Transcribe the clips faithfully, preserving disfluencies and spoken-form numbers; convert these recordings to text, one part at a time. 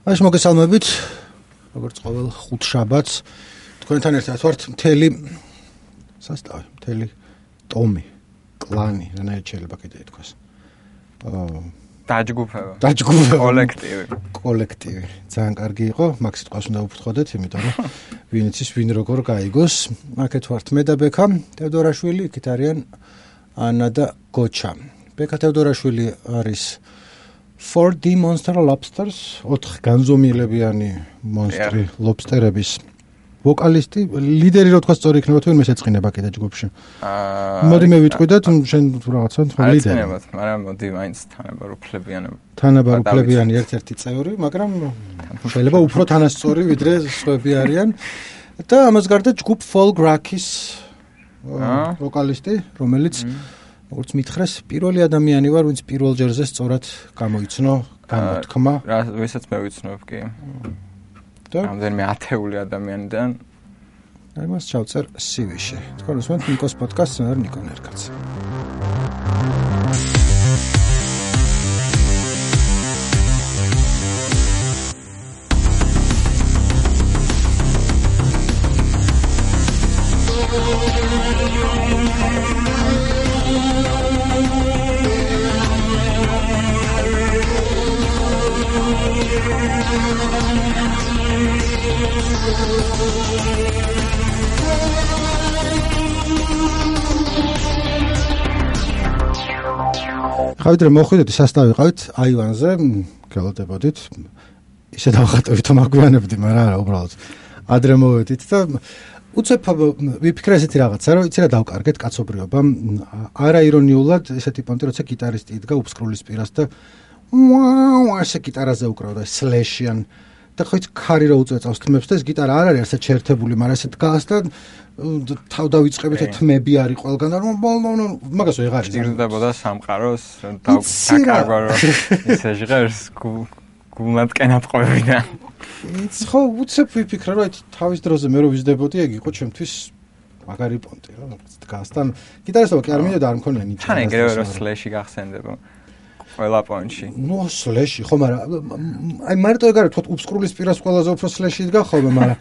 Aš მოგესალმებით, როგორც ყოველ ხუთშაბათს თქვენთან ერთად ვართ მთელი სასტავი, მთელი ტომი, კლანი, რანაირად შეიძლება კიდე ითქვას. აა დაჯგუფება. დაჯგუფება. კოლექტივი. კოლექტივი. ძალიან კარგი იყო, მაგ სიტყვას უნდა უფრთხოდეთ, იმიტომ რომ ვინ იცის ვინ როგორ გაიგოს. აქეთ ვართ მე და ბექა თევდორაშვილი, იქით არიან ანა და გოჩა. ბექა თევდორაშვილი არის four D Monster Lobsters, ოთხ განზომილებიანი მონსტრი ლობსტერების ვოკალისტი, ლიდერი რო თქვა სწორი იქნება თუ ვინმე შეწყინება კიდე ჯგუფში. აა მოდი მე ვიტყვი და შენ რაღაცა თქვა ლიდერი. ეცნებათ, მაგრამ მოდი მაინც თანაბარუფლებიანი. თანაბარუფლებიანი ერთ-ერთი წევრი, მაგრამ შეიძლება უფრო თანასწორი ვიდრე სხვები არიან. და ამას გარდა ჯგუფ Folk Rock-ის ვოკალისტი, რომელიც როგორც მითხრეს, პირველი ადამიანი ვარ, ვინც პირველ ჯერზე სწორად გამოიცნო გამოთქმა. რა, ვისაც მე ვიცნობ კი. და რამდენიმე ათეული ადამიანიდან ამას ჩავწერ სი-ვიში. თქვენ უსმენთ ნიკოს პოდკასტს, მე ვარ ნიკო ნერკაცი. ხავით რომ მოხვიდეთ სასტავი ყავით აივანზე, გელოდებოდით. ისე დავხატავით რომ აგვიანებდი, მაგრამ არა, უბრალოდ ადრე მოვედით და უცებ ვიფიქრე ესეთი რაღაცა, რომ იცი რა დავკარგეთ კაცობრიობა. არა ირონიულად ესეთი პონტი, როცა გიტარისტი იდგა უფსკრულის პირას და ვაუ, ასე გიტარაზე უკრავდა სლეშიან და ხო იცი ქარი რო უწევს თმებს და ეს გიტარა არ არის ასე ჩერთებული, მაგრამ ესე დგას და თავ დავიწყებით თმები არის ყველგან და მაგას ვეღარ იზრდებოდა სამყაროს დაკარგვა რომ ესე ჟღერს გულად კენატყვევიდან. იცი ხო უცებ ვიფიქრე რომ თავის დროზე მე რო ვიზრდებოდი ეგ იყო ჩემთვის მაგარი პონტი რა დგას და გიტარისტობა კი არ მინდა და არ მქონია ნიჭი. თან ეგრევე რომ სლეში გახსენდება. ყველა პონჩი. ნუ სლეში ხო, მაგრამ აი მარტო ეგ არის თქვა უფსკრულის პირას ყველაზე უფრო სლეში იდგა ხოლმე, მაგრამ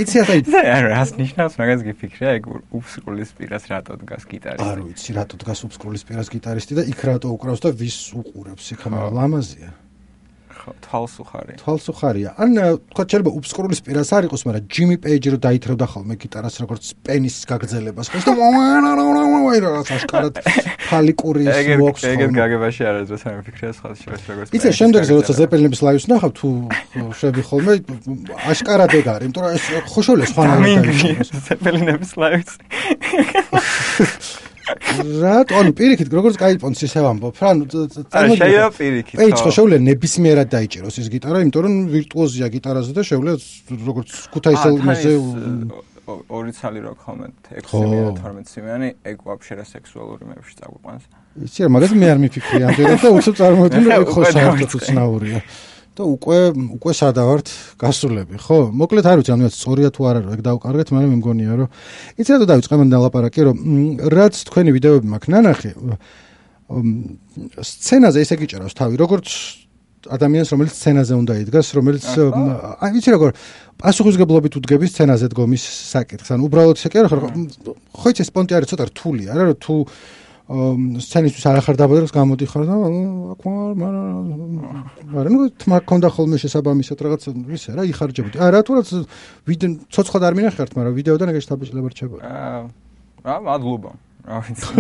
იცი ასე არა, რას ნიშნავს მაგას გიფიქრე, ეგ უფსკრულის პირას რატო დგას გიტარისტი? არ ვიცი, რატო დგას უფსკრულის პირას გიტარისტი და იქ რატო უკრავს და ვის უყურებს, იქ მაგრამ ლამაზია. ხო, თვალსუხარი. თვალსუხარია. ან თქვა შეიძლება უფსკრულის პირას არ იყოს, მაგრამ ჯიმი პეიჯი რო დაითრევდა ხოლმე გიტარას როგორც პენის გაგრძელებას. ხო და ვაი რა აშკარად ფალიკური მოაქვს. ეგეთ გაგებაში არ არის, რა ვიფიქრე სხვა შეიძლება როგორც. იცი შემდეგზე როცა ზეპელინების ლაივს ნახავ თუ შვები ხოლმე აშკარად ეგ არის, იმიტომ რომ ეს ხოშოლეს ხანაა ზეპელინების ლაივს. რატო ანუ პირიქით როგორც კაი პონცი ისე ვამბობ რა ანუ შეიძლება პირიქით აი ხო შეუძლია ნებისმიერად დაიჭიროს ეს გიტარა იმიტომ რომ ვირტუოზია გიტარაზე და შეუძლია როგორც ქუთაისელზე ორი ცალი რო ხოლმე ექვსი თორმეტ სიმიანი ეგ ვაფშე რა სექსუალური მეებში წაგვიყვანს იცი რა მაგას მე არ მიფიქრე ამდენად და უცებ წარმოვიდგინე რომ ეგ ხო საერთოდ უცნაურია და უკვე უკვე სადავართ გასულები ხო მოკლედ არ ვიცი ანუ სწორია თუ არა რომ ეგ დავკარგეთ მაგრამ მე მგონია რომ იცი რა დავიწყე მან დალაპარაკი რომ რაც თქვენი ვიდეოები მაქვს ნანახი სცენაზე ესე გიჭერავს თავი როგორც ადამიანს რომელიც სცენაზე უნდა იდგას რომელიც აი ვიცი როგორ პასუხისგებლობით უდგების სცენაზე დგომის საკითხს ანუ უბრალოდ ესე კი არა ხო იცი სპონტი არის ცოტა რთული არა რომ თუ სცენისთვის არ ახარ დაბადებს გამოდიხარ და აქ მაგრამ ნუ თმა ქონდა ხოლმე შესაბამისად რაღაც ისე რა იხარჯებოდი. არა თუ რაც ვიდეო ცოცხლად არ მინახართ, მაგრამ ვიდეოდან ეგეც დაბეჭდება რჩებოდი. აა რა მადლობა. რა ვიცი.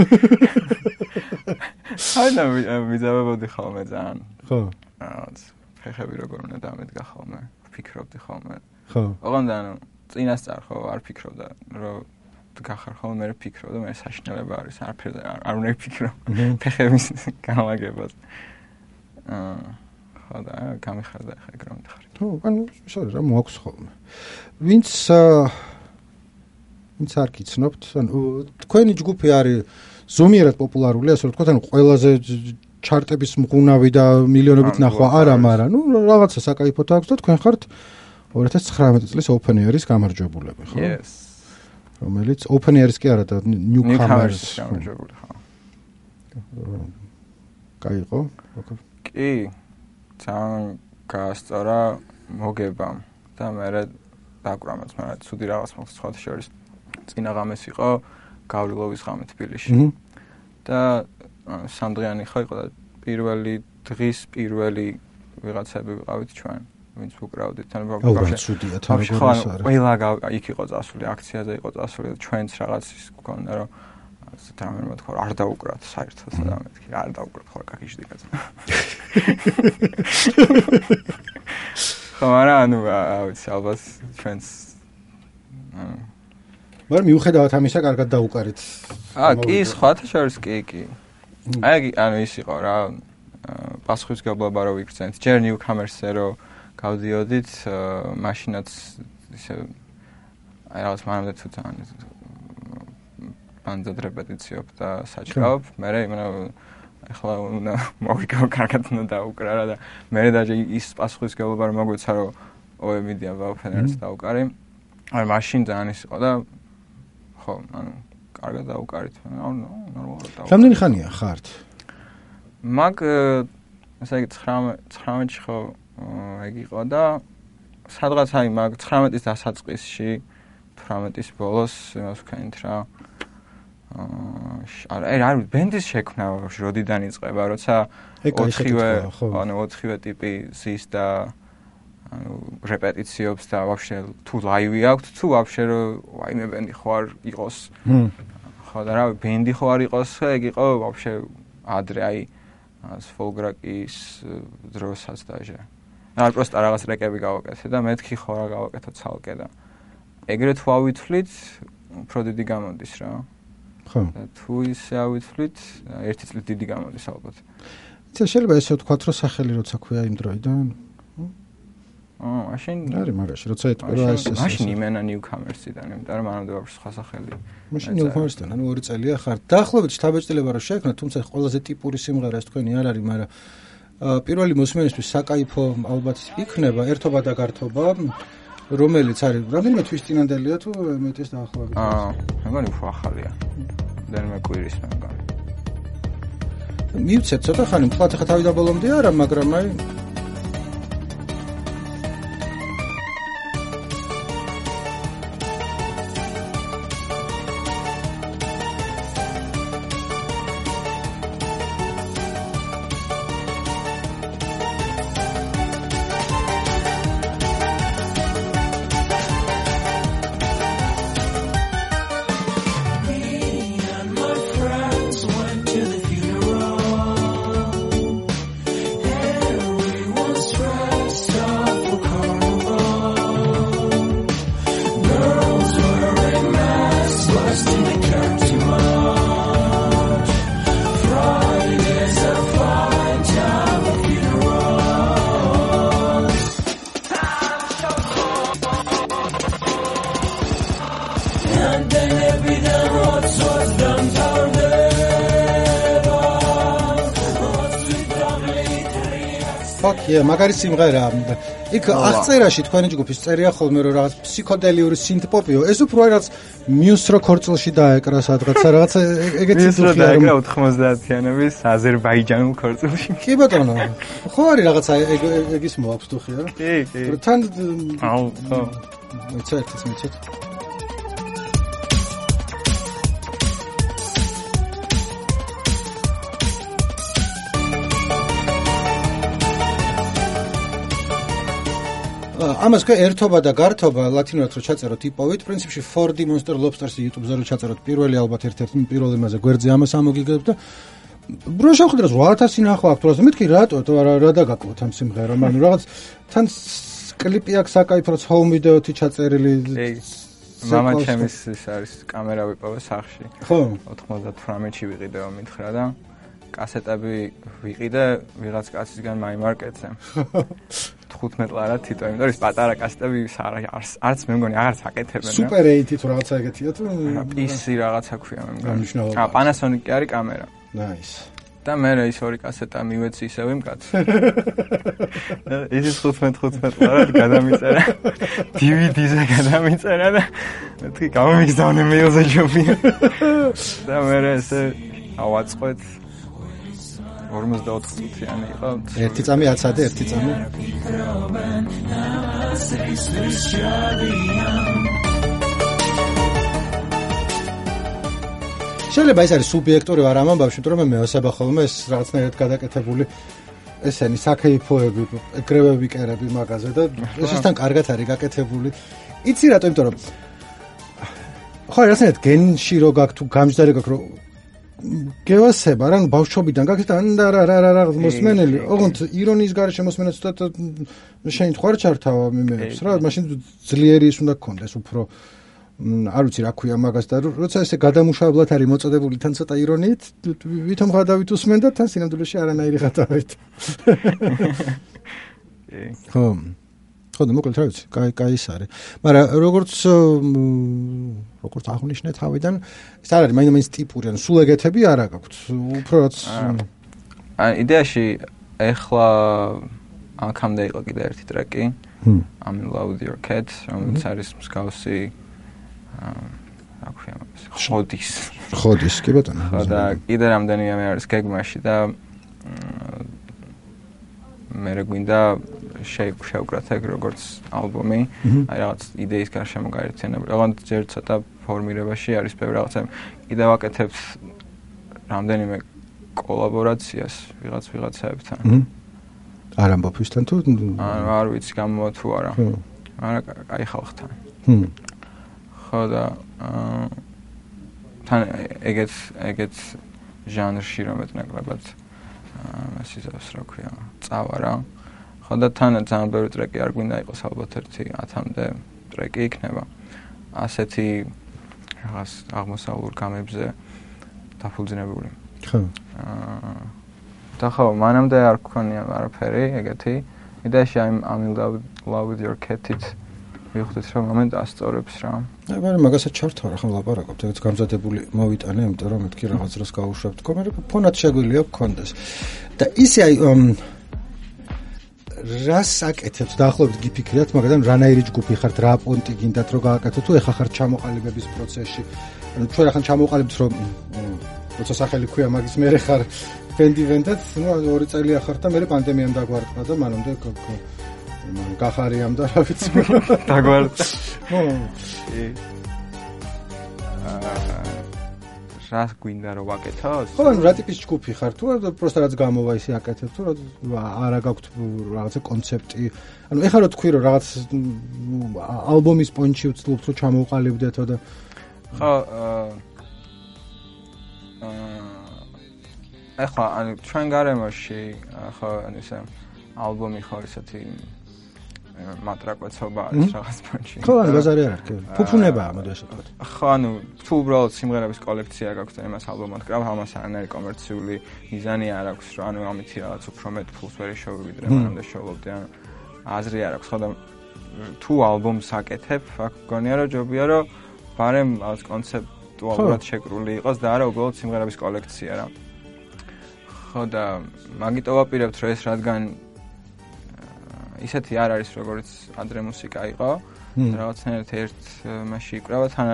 აი და ვიზავებოდი ხოლმე ძალიან. ხო. რაღაც ფეხები როგორ უნდა დამედგა ხოლმე. ვფიქრობდი ხოლმე. ხო. ოღონდ ანუ წინასწარ ხო არ ფიქრობდა რომ გახარ ხოლმე მე ვფიქრობ და მე საშინელება არის არაფერზე არ უნდა ვფიქრო ფეხების გამაგებას აა ხო და გამიხარდა ხა ეგ რომ ხარ თუ ანუ შორე რა მოაქვს ხოლმე ვინც ვინც არ გიცნობთ ანუ თქვენი ჯგუფი არის ზომიერად პოპულარული ასე რომ თქვა ანუ ყველაზე ჩარტების მღუნავი და მილიონობით ნახვა არა მაგრამ ნუ რაღაცა საკაიფოთ აქვს და თქვენ ხართ ორი ათას ცხრამეტი წლის open air-ის გამარჯვებულები ხო yes რომელიც open air-ის კი არა და newcomers გამარჯვებული ხო კაი იყო? კი. ძალიან გაასწორა მოგებამ და მე დაკვრამაც, მაგრამ ცუდი რაღაც მოხდა სხვა შორის. წინა ღამეს იყო გავლილოვის ღამე თბილისში. და სამდღიანი ხო იყო და პირველი დღის პირველი ვიღაცები ვიყავით ჩვენ. ვინც უკრავდით თან ბავშვი ცუდია თან როგორ ის არის ყველა იქ იყო წასული აქციაზე იყო წასული ჩვენც რაღაც ის გქონდა რომ ასე თამარ მოთქვა არ დაუკრათ საერთოდ და მეთქი არ დაუკრათ ხო კაკიში კაცო ხო არა ანუ აუცი ალბათ ჩვენც მაგრამ მიუხედავად ამისა კარგად დაუკარით აა კი სხვათა შორის კი კი აი ანუ ის იყო რა პასუხისგებლობა რო ვიქცენთ ჯერ ნიუკამერსზე რო გავდიოდით მაშინაც ისე აი რაღაც მანამდე თუ თან ბანძად რეპეტიციობ და საჭყავ მე იმენა ახლა უნდა მოვიკავ კარგად უნდა დაუკრა რა და მე დაჟე ის პასუხისგებლობა რომ მოგვეცა რომ ოე მიდია ვაფენერს დაუკარი აი მაშინ ძალიან ის იყო და ხო ანუ კარგად დაუკარით ანუ ნორმალურად დაუკარი რამდენი ხანია ხართ მაგ ესე იგი ცხრამეტი ხო ეგ იყო და სადღაც აი მაგ ცხრამეტის დასაწყისში თვრამეტის ბოლოს იმას ვქენით რა აა აი არ ბენდის შექმნა როდიდან იწყება როცა ოთხივე ანუ ოთხივე ტიპი ზის და ანუ რეპეტიციობს და ვაფშე თუ ლაივი აქვს თუ ვაფშე ვაიმე ბენდი ხო არ იყოს ხო და რა ბენდი ხო არ იყოს ეგ იყო ვაფშე ადრე აი სფოლგრაკის დროსაც დაჟე არ პროსტა რაღაც რეკები გავაკეთე და მეთქი ხო რა გავაკეთო ცალკე და ეგრეთ ვავითვლით უფრო დიდი გამოდის რა ხო და თუ ისე ავითვლით ერთი წლით დიდი გამოდის ალბათ იცი შეიძლება ესე ვთქვათ რომ სახელი როცა ქვია იმ დროიდან აა მაშინ არის მაგაში როცა ეთქვა ეს ეს მაშინ იმენა ნიუკამერსიდან იმიტომ რომ მანამდე ვაფშე სხვა სახელი მაშინ ნიუკამერსიდან ანუ ორი წელია ხარ დაახლოებით შთაბეჭდილება რომ შეექმნა თუმცა ყველაზე ტიპური სიმღერა ეს თქვენი არ არის მაგრამ პირველი მოსმენისთვის საკაიფო ალბათ იქნება ერთობა და გართობა რომელიც არის რამდენიმე თვის წინანდელია თუ მეტის დაახლოებით აა მეგონი უფრო ახალია დენმე კვირის მე მგონი მივცეთ ცოტა ხანი მთლად ხა თავიდან ბოლომდე არა მაგრამ აი ია მაგარი სიმღერა იქ აღწერაში თქვენი ჯგუფის წერია ხოლმე რომ რაღაც ფსიქოდელიური სინთპოპიო ეს უფრო რაღაც მიუსრო ქორწილში დაეკრა სადღაცა რაღაც ეგეთი მიუსრო დაეკრა ოთხმოცდაათიანების აზერბაიჯანულ ქორწილში კი ბატონო ხო არის რაღაცა ეგის მოაქვს თუ ხია კი კი თან აუ ხო მეცეთ ეს მეცეთ ამას კი ერთობა და გართობა ლათინურად რო ჩაწეროთ იპოვით პრინციპში four D Monster Lobsters-ი YouTube-ზე რო ჩაწეროთ პირველი ალბათ ერთ-ერთი პირველი მასე გვერდზე ამას ამოგიგებთ და ბრო შევხვდეთ რომ ათასი ნახვა აქვს თორემ მეთქი რატო რა რა დაგაკლოთ ამ სიმღერამ ანუ რაღაც თან კლიპი აქვს საკაიფროც home video-თი ჩაწერილი მამა ჩემის ის არის კამერა ვიპოვე სახში ხო ოთხმოცდათვრამეტში ვიყიდე მითხრა და კასეტები ვიყიდე ვიღაც კაცისგან მაიმარკეტზე თხუთმეტ ლარა თითო იმიტომ რომ ის პატარა კასეტები არც მე მგონი აღარც აკეთებენ სუპერ ეითი თუ რაღაცა ეგეთია თუ პისი რაღაცა ქვია მე მგონი აა პანასონიკი არის კამერა ნაის და მე ის ორი კასეტა მივეცი ისევ იმ კაცს ის თხუთმეტ თხუთმეტ ლარა გადამიწერა დი ვი დი-ზე გადამიწერა და მეთქი გამომიგზავნე მეილზე ჯობია და მე ესე ავაწყოთ ორმოცდაოთხ წუთიანი იყო. ერთი წამი აცადე, ერთი წამი. შეიძლება ეს არის სუბიექტური ვარ ამ ამბავში, იმიტომ რომ მე მეოსება ხოლმე ეს რაღაცნაირად გადაკეთებული ესენი საქეიფოები, ეკრევები, კერები მაგაზე და ეს ისთან კარგად არის გაკეთებული. იცი რატო, იმიტომ რომ ხო, რაღაცნაირად გენში რო გაქვს თუ გამჯდარი გაქვს რომ გევასება რა, ბავშვობიდან გაქვს და რა რა რა რა მოსმენელი, ოღონდ ირონიის გარეშე მოსმენა ცოტა შენ ხარ ჩართავა მიმეებს რა, მაშინ ძლიერი ის უნდა გქონდეს უფრო არ ვიცი რა ქვია მაგას და როცა ესე გადამუშავებლად არის მოწოდებული თან ცოტა ირონიით, ვითომ გადავით უსმენ და თან სინამდვილეში არანაირი გადავით. ხო. ხო და მოკლედ რა ვიცი, კაი კაი ის არის. მაგრამ როგორც როგორც აღნიშნე თავიდან, ეს არ არის მაინც ტიპური, ანუ სულ ეგეთები არა გაქვთ. უფრო რაც აი იდეაში ეხლა აქამდე იყო კიდე ერთი ტრეკი. I'm in love with your cat, რომელიც არის მსგავსი რა ქვია მას ხოდის. ხოდის, კი ბატონო. ხო და კიდე რამდენიმე არის გეგმაში და მე გვინდა შევკრათ ეგ როგორც ალბომი, აი რაღაც იდეის გარშემო გაერთიანებული. ოღონდ ჯერ ცოტა ფორმირებაში არის ბევრი რაღაცა. კიდე ვაკეთებ რამდენიმე კოლაბორაციას ვიღაც ვიღაცაებთან. არ ამბობ ვისთან თუ არ ვიცი გამოვა თუ არა. მაგრამ აი ხალხთან. ხო და თან ეგეთ ეგეთ ჟანრში რომ მეტნაკლებად მასიზავს რა ქვია წავა რა. ხო და თან ძალიან ბევრი ტრეკი არ გვინდა იყოს ალბათ ერთი ათამდე ტრეკი იქნება. ასეთი რაღაც აღმოსავლურ გამებზე დაფუძნებული. ხო. აა და ხო, მანამდე არ გქონია არაფერი ეგეთი. იდეაში I'm in love with your cat-ით ვიხდით რომ მომენტ ასწორებს რა. აი, მაგრამ მაგასაც ჩართვა რა ხომ ლაპარაკობთ, ეგეც გამზადებული მოვიტანე, იმიტომ რომ მეთქი რაღაც დროს გავუშვებ თქო, მაგრამ ფონად შეგვიძლია გქონდეს. და ისე აი რას აკეთებთ დაახლოებით გიფიქრიათ, მაგრამ რანაირი ჯგუფი ხართ, რა პონტი გინდათ რომ გააკეთოთ, თუ ეხა ხართ ჩამოყალიბების პროცესში. ანუ ჩვენ ახლა ჩამოყალიბთ რომ როცა სახელი ქვია მაგის მერე ხარ ბენდი ვენდად, ნუ ორი წელი ახარ და მე პანდემიამ დაგვარტყა და მანამდე მან გახარიამ და რა ვიცი დაგვარტყა. ხო. რა გვინდა რომ ვაკეთოს? ხო, ანუ რა ტიპის ჯგუფი ხარ თუ პროსტა რაც გამოვა ისე აკეთებ თუ არა გაქვთ რაღაცა კონცეპტი. ანუ ეხლა რო თქვი რომ რაღაც ალბომის პონჩი ვცდილობთ რომ ჩამოვყალიბდეთო და ხო ეხლა ანუ ჩვენ გარემოში ხო ანუ ესე ალბომი ხო ისეთი მატრაკვეცობა არის რაღაც პონჩი. ხო, ანუ ბაზარი არ არის. ფუფუნებაა, მოდი ასე ვთქვათ. ხო, ანუ თუ უბრალოდ სიმღერების კოლექცია გაქვს და იმას ალბომად კრავ, ამას არანაირი კომერციული მიზანი არ აქვს, რომ ანუ ამითი რაღაც უფრო მეტ ფულს ვერ შევიდრე, მანამდე შევლობდი, ანუ აზრი არ აქვს. ხო და თუ ალბომს აკეთებ, აქ გონია რომ ჯობია რომ ბარემ რაღაც კონცეპტუალურად შეკრული იყოს და არა უბრალოდ სიმღერების კოლექცია რა. ხო და მაგიტო ვაპირებთ რომ ეს რადგან ისეთი არ არის როგორც ადრე მუსიკა იყო რაღაცნაირად ერთ მასში იკრავა თან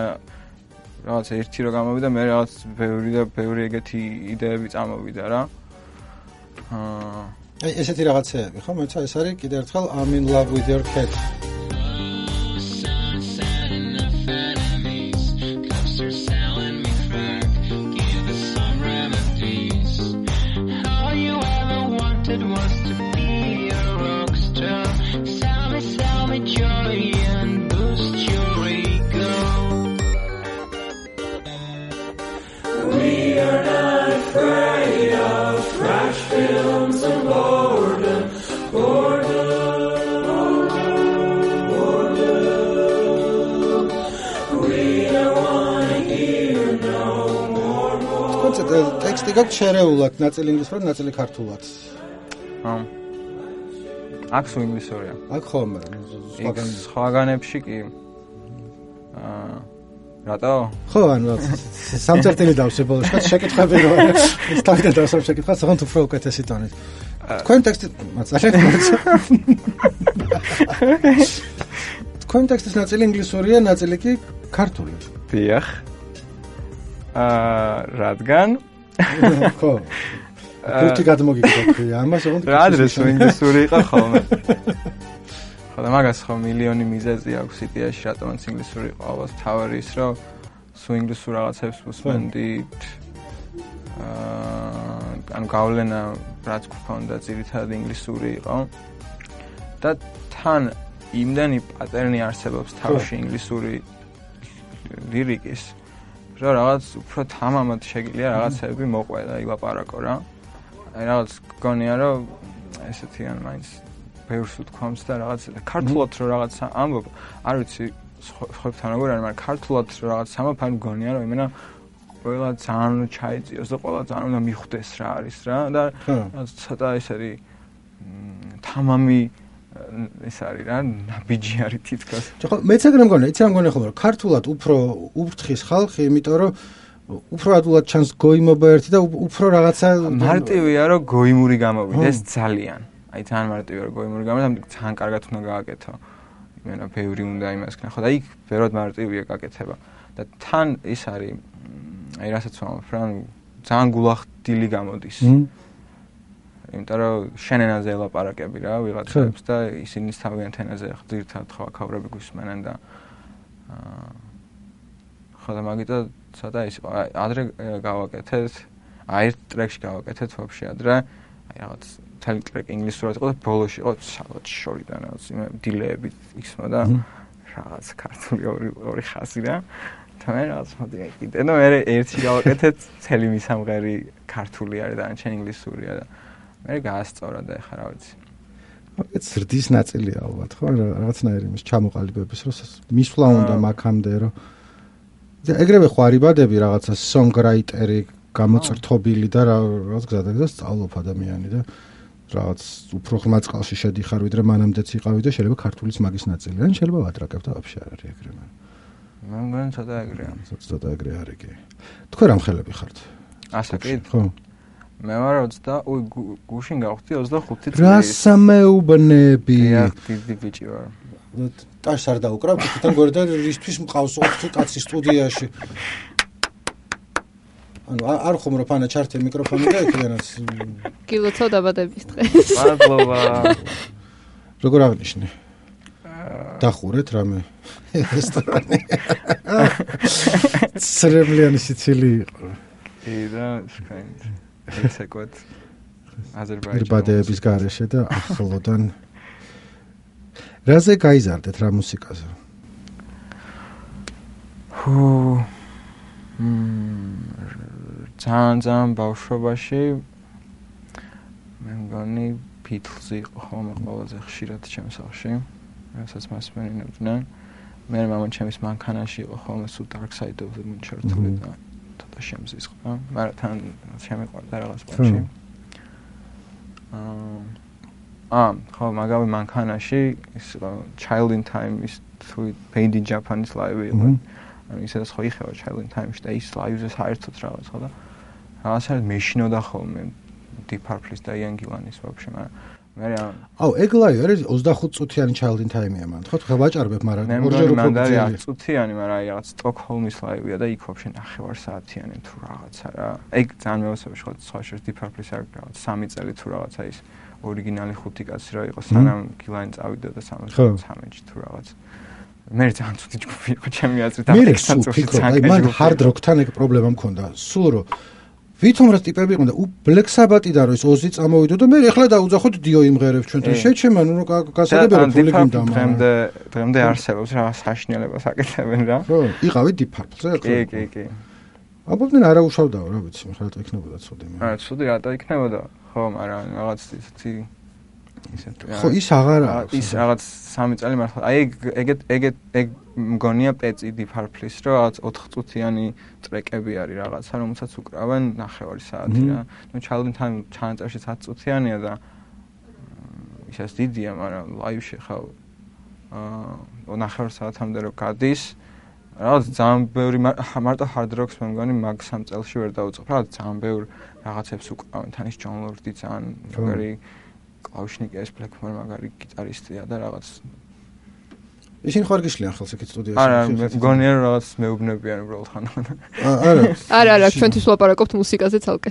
რაღაც ერთი რო გამოვიდა მე რაღაც ბევრი და ბევრი ეგეთი იდეები წამოვიდა რა აა აი ესეთი რაღაცეები ხო მოიცა ეს არის კიდევ ერთხელ I'm in love with your cat. ტექსტი გაქვს შერეულად, ნაწილი ინგლისურად, ნაწილი ქართულად. აა. აქ სულ ინგლისურია. აქ ხო, მაგრამ სხვაგან სხვაგანებში კი. აა რატო? ხო, ანუ სამწერტილი დავსებოლო, შეკითხები რო არის. ეს თავიდან დავსებ შეკითხას, თქო უფრო უკეთესი ტონით. თქვენ ტექსტი მაწალეთ. თქვენ ტექსტის ნაწილი ინგლისურია, ნაწილი კი ქართული. დიახ. აა რადგან ხო. ხუთი გადმოგიგდა ამას ოღონდ რა ადრეს ინგლისური იყო ხოლმე ხოლმე მაგას ხო მილიონი მიზეზი აქვს იდეაში რატომაც ინგლისური იყო ალბათ თავი ის რომ სულ ინგლისურ რაღაცებს უსმენდით აა ანუ გავლენა რაც გქონდა ძირითადად ინგლისური იყო და თან იმდენი პატერნი არსებობს თავში ინგლისური ლირიკის რომ რაღაც უფრო თამამად შეგიძლია რაღაცები მოყვე და ილაპარაკო რა აი რაღაც გონია რომ ესეთი ან მაინც ბევრს უთქვამს და რაღაც ქართულად რომ რაღაც ამბობ არ ვიცი ხოებთან როგორ არის მაგრამ ქართულად რომ რაღაც ამბობ ან გონია რომ იმენა ყველა ძალიან ჩაიწიოს და ყველა ძალიან უნდა მიხვდეს რა არის რა და ცოტა ესეთი თამამი ეს არის რა ნაბიჯი არის თითქოს. ხო მეც ეგრე მგონია, იცი რა მგონია ხოლმე რომ ქართულად უფრო ურთხის ხალხი, იმიტომ რომ უფრო ადულად ჩანს გოიმობა ერთი და უფრო რაღაცა მარტივია რომ გოიმური გამოვიდეს ძალიან. აი ძალიან მარტივია რომ გოიმური გამოვიდეს, ძალიან კარგად უნდა გააკეთო. იმენა ბევრი უნდა იმას ქნახო და იქ ბევრად მარტივია გაკეთება. და თან ის არის აი რასაც ვამბობ რა, ძალიან გულახდილი გამოდის. იმიტომ რომ შენ ენაზე ელაპარაკები რა ვიღაცებს და ისინი თავიანთ ენაზე ხდირთად ხო აქავრები გვისმენენ და აა ხო და მაგიტო ცოტა ის იყო ადრე გავაკეთეთ აი ერთ ტრეკში გავაკეთეთ ვაფშე ადრე აი რაღაც თელი ტრეკი ინგლისურად იყო და ბოლოში იყო სადღაც შორიდან რაღაც იმე დილეები ისმა და რაღაც ქართული ორი ორი ხაზი რა და მე რაღაც მოდი კიდე და მე ერთი გავაკეთეთ ცელი მისამღერი ქართული არის და ან ინგლისურია და მე გაასწორა და ეხლა რა ვიცი. მაგაც ზრდის ნაწილია ალბათ, ხო? რაღაცნაირი იმის ჩამოყალიბების, რომ მისვლა უნდა მაგამდე, რომ ეგრევე ხო არიბადები რაღაცა songwriter-ი გამოწრთობილი და რაღაც გზადაგზა სწავლობ ადამიანი და რაღაც უფრო ღრმა წყალში შედიხარ, ვიდრე მანამდეც იყავი და შეიძლება ქართულის მაგის ნაწილი. ან შეიძლება ვატრაკებ და ვაფშე არ არის ეგრე მან. მე მგონი ცოტა ეგრეა. ცოტა ეგრე არის კი. თქვენ რამ ხელები ხართ? ასე კი? ხო. მე ვარ ოცდა, ой, გუშინ გავხდი ოცდახუთი წელი. რა სამეუბნები. ია, დიდი ბიჭი ვარ. ტაშს არ დაუკრავ, თვითონ გორ და ისთვის მყავს ოთხი კაცი სტუდიაში. ანუ არ ხუმრობ ანა ჩართე მიკროფონი და იქიდანაც. გილოცავ დაბადების დღეს. მადლობა. როგორ აღნიშნე? დახურეთ რამე რესტორანი. ცრემლიანი სიცილი იყო. იდა, შკაინთ. ეცეკოთ აზერბაიჯანის ირბადეების გარეშე და ახლოდან რაზე გაიზარდეთ რა მუსიკაზე? ჰუ მ ძალიან ძალიან ბავშვობაში მე მგონი ბიტლზი იყო ხოლმე ყველაზე ხშირად ჩემს სახლში რასაც მასმენინებდნენ მე მამამ ჩემის მანქანაში იყო ხოლმე სულ Dark Side of the Moon ჩართული და და შემზის ხო? მაგრამ თან შემეყვარდა რაღაც პონჩი. აა აა ხო მაგავი მანქანაში ის Child in Time is to Paid in Japanese live იყო. ანუ ისაც ხო იხევა Child in Time-ში და ის live-ზე საერთოდ რაღაც ხო და რაღაცა მეშინოდა ხოლმე Deep Purple-ის და Ian Gillan-ის ვაფშე მაგრამ მე რა აუ ეგ live არის ოცდახუთ წუთიანი Child in Time-ია მან ხო თქვა ვაჭარბებ მაგრამ ორჯერ უფრო ძლიერი არის წუთიანი მაგრამ აი რაღაც Stockholm-ის live-ია და იქ ვაფშე ნახევარ საათიანი თუ რაღაცა რა ეგ ძალიან მეოსებაში ხო სხვა შეს Deep Purple-ის არ რაღაც სამი წელი თუ რაღაცა ის ორიგინალი ხუთი კაცი რა იყო სანამ Gillan წავიდა და სამოცდამეში თუ რაღაც მე ძალიან ცუდი ჯგუფი იყო ჩემი აზრით და ექსთან წუთი აი მან hard rock-თან ეგ პრობლემა მქონდა სულ რომ ვითომ რა ტიპები იყო და Black Sabbath-იდან რო ის ოზი წამოვიდო და მე ეხლა დაუძახოთ Dio იმღერებს ჩვენთან შეჩემა ნუ გასაგებია რომ ფული გინდა დღემდე დღემდე არსებობს რა საშინელებას აკეთებენ რა ხო იყავი Deep Purple-ზე კი კი კი აბობდნენ არა უშავდაო რა ვიცი რატო იქნებოდა ცუდი მე არა ცუდი რატო იქნებოდა ხო მაგრამ რაღაც ისეთი ხო ის აღარ ის რაღაც სამი წელი მართლა აი ეგეთ ეგეთ ეგ მგონია პეცი Deep Purple-ის რომ რაღაც ოთხ წუთიანი ტრეკები არის რაღაცა რომელსაც უკრავენ ნახევარი საათი რა ნუ Child in Time ჩანაწერში ათი წუთიანია და ისეს დიდია მაგრამ ლაივში ხავ აა ნახევარ საათამდე რო გადის რაღაც ძალიან ბევრი მარტო hard rock-ს მე მგონი მაგ სამ წელში ვერ დაუწყებ რა ძალიან ბევრ რაღაცებს უკრავენ თან ის John Lord-ი ძალიან მაგარი კლავიშნიკეს Blackmore მაგარი გიტარისტია და რაღაც ისინი ხარ გიშლიან ხელს იქ სტუდიაში არა მგონია რომ რაღაც მეუბნებიან უბრალოდ ხან არა არა არა ჩვენთვის ვლაპარაკობთ მუსიკაზე ცალკე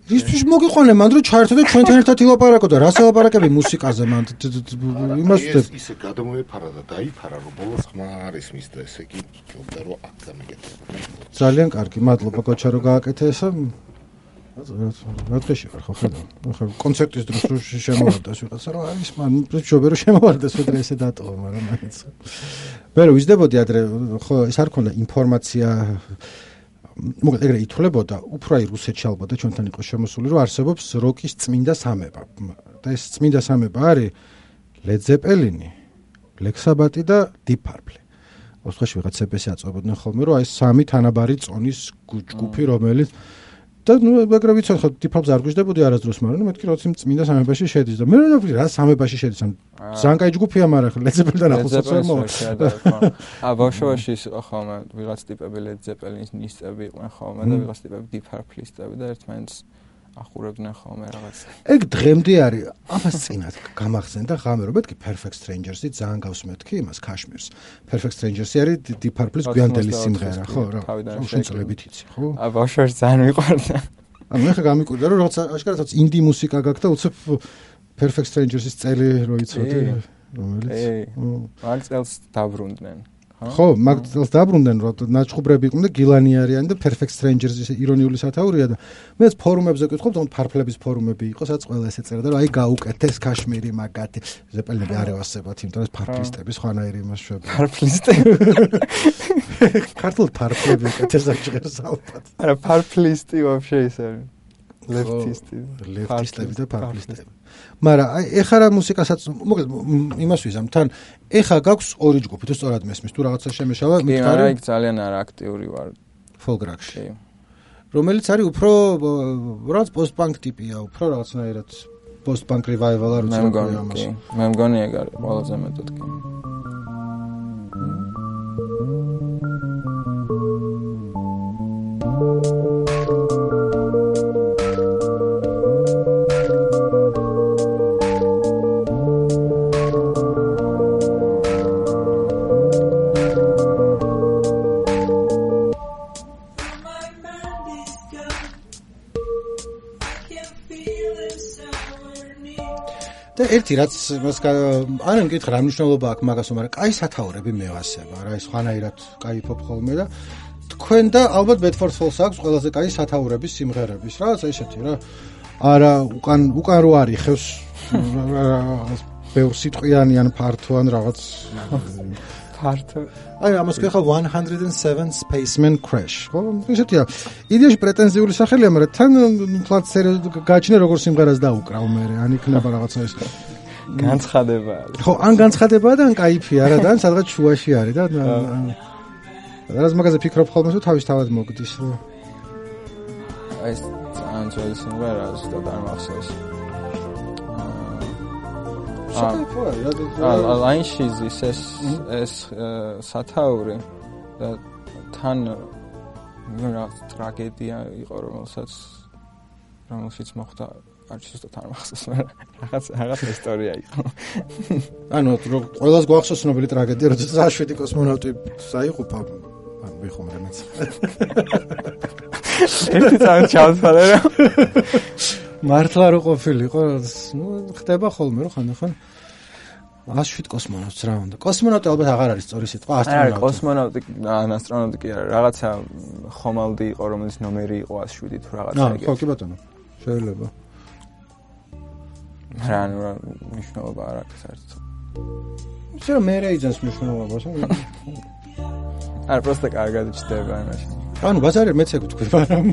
ისთვის მოგიყვანე მანდ რომ ჩაერთო და ჩვენთან ერთად ილაპარაკო და რას ელაპარაკები მუსიკაზე მანდ იმას ვთქვი ისე გადმოეფარა და დაიფარა რომ ბოლოს ხმა არის მის და ესე იგი ჯობდა რომ აქ გამიგეთება ძალიან კარგი მადლობა კოჩა რომ გააკეთე ესა რა დღეში ვარ ხო ხედავ ხო კონცერტის დროს რო შემოვარდეს ვიღაცა რომ არის მან მშობე რომ შემოვარდეს უდრე ესე დატოვა მაგრამ მაინც მე რო ვიზდებოდი ადრე ხო ეს არ ქონდა ინფორმაცია მოკლედ ეგრე ითვლებოდა უფრო აი რუსეთში ალბათ და ჩვენთან იყო შემოსული რომ არსებობს როკის წმინდა სამება და ეს წმინდა სამება არის Led Zeppelin, Black Sabbath და Deep Purple. ოთხში ვიღაც ცე-პე-სი აწვებოდნენ ხოლმე რომ აი სამი თანაბარი წონის ჯგუფი რომელიც და ნუ ეგრე ვიცი ხო Deep Purple-ს არ გვიждდებოდი არასდროს მაგრამ მეთქი რომ იმ წმინდა სამებაში შედის და მე რა ვთქვი რა სამებაში შედის ან ზანკაი ჯგუფია მაგრამ Led Zeppelin-დან ახლოსაც ვერ მოვა. ა ბავშვობაში ის იყო ხოლმე ვიღაც ტიპები Led Zeppelin-ის ნისტები იყვნენ ხოლმე და ვიღაც ტიპები Deep Purple-ისტები და ერთმანეთს ახურებდნენ ხოლმე რაღაც. ეგ დღემდე არის ამას წინათ გამახსენდა ღამე რომ მეთქი Perfect Strangers-ი ძალიან გავს მეთქი იმას Kashmir-ს. Perfect Strangers-ი არის Deep Purple-ის გვიანდელი სიმღერა ხო რა. შენწლებით იცი ხო? ა ბავშვებში ძალიან მიყვარდა. ანუ მე ხა გამიკვირდა რომ რაღაც აშკარადაც ინდი მუსიკა გაქვს და უცებ Perfect Strangers-ის წელი რო იცოდი რომელიც მაგ წელს დაბრუნდნენ. ხო, მაგ წელს დაბრუნდნენ რომ ნაჩხუბრები იყვნენ და გილანი არიან და Perfect Strangers-ის ირონიული სათაურია და მეც ფორუმებზე ვკითხობ, თუმცა ფარფლების ფორუმები იყო, სადაც ყველა ესე წერდა რომ აი გაუკეთეს Kashmir-ი მაგათი ზეპელინები არ ევასებათ, იმიტომ რომ ფარფლისტები სხვანაირი იმას შვება. ფარფლისტები. ქართულ ფარფლები უკეთეს აღჭერს ალბათ. არა, ფარფლისტი ვაფშე ის არის. ლეფტისტი. ლეფტისტები და ფარფლისტები. მაგრამ აი ეხლა რა მუსიკასაც მოკლედ იმას ვიზამ თან ეხლა გაქვს ორი ჯგუფი თუ სწორად მესმის თუ რაღაცა შემეშალა მითხარი კი არა იქ ძალიან არა აქტიური ვარ folk rock-ში რომელიც არის უფრო რაღაც post-punk ტიპია უფრო რაღაცნაირად post-punk revival არ ვიცი რა ამას მე მგონი ეგ არის ყველაზე მეტად კი და ერთი რაც მას არ მეკითხა რა მნიშვნელობა აქვს მაგას, მაგრამ კაი სათაურები მევასება რა ის ხანაირად кайფობ ხოლმე და თქვენ და ალბათ Bedford Falls აქვს ყველაზე კაი სათაურების სიმღერების რაღაცა ისეთი რა არა უკან უკან რო არის ხევს ბევრ სიტყვიანი ან ფართო ან რაღაც ფართო აი ამას ხეხა one oh seven Spaceman Crash ხო ისეთია იდეაში პრეტენზიული სახელია მაგრამ თან თლაც გაჩნე როგორ სიმღერას დაუკრავ მე ან იქნება რაღაცა ის განცხადება არის ხო ან განცხადებაა და ან кайფია რა და ან სადღაც შუაში არის და რაღაც მაგაზე ფიქრობ ხოლმე თუ თავისთავად მოგდის რა აი ეს ძალიან ძველი სიმღერაა ზუსტად არ მახსოვს აა ლაინში ის ეს ეს სათაური და თან რა ტრაგედია იყო რომელსაც რომელშიც მოხდა არ შეიძლება თან მახსოვს რაღაც რაღაც ისტორია იყო ანუ ყველას გვახსოვს ცნობილი ტრაგედია როდესაც შვიდი კოსმონავტი საიყუპა ან ვიხომრე მეც ერთი ძალიან ჩავთვალე რა მართლა რო ყოფილიყო ნუ ხდება ხოლმე რო ხანდახან ას შვიდ კოსმონავტს რა უნდა კოსმონავტი ალბათ აღარ არის სწორი სიტყვა ასტრონავტი არა კოსმონავტი ან ასტრონავტი კი არა რაღაცა ხომალდი იყო რომელიც ნომერი იყო ას შვიდი თუ რაღაცა ეგეთი ხო კი ბატონო შეიძლება რა ნუ მნიშვნელობა არ აქვს საერთოდ ისე მე რა იძენს მნიშვნელობას არა პროსტა კარგად ჩდება იმაში ანუ ბაზარი მეც ეგ ვთქვი მაგრამ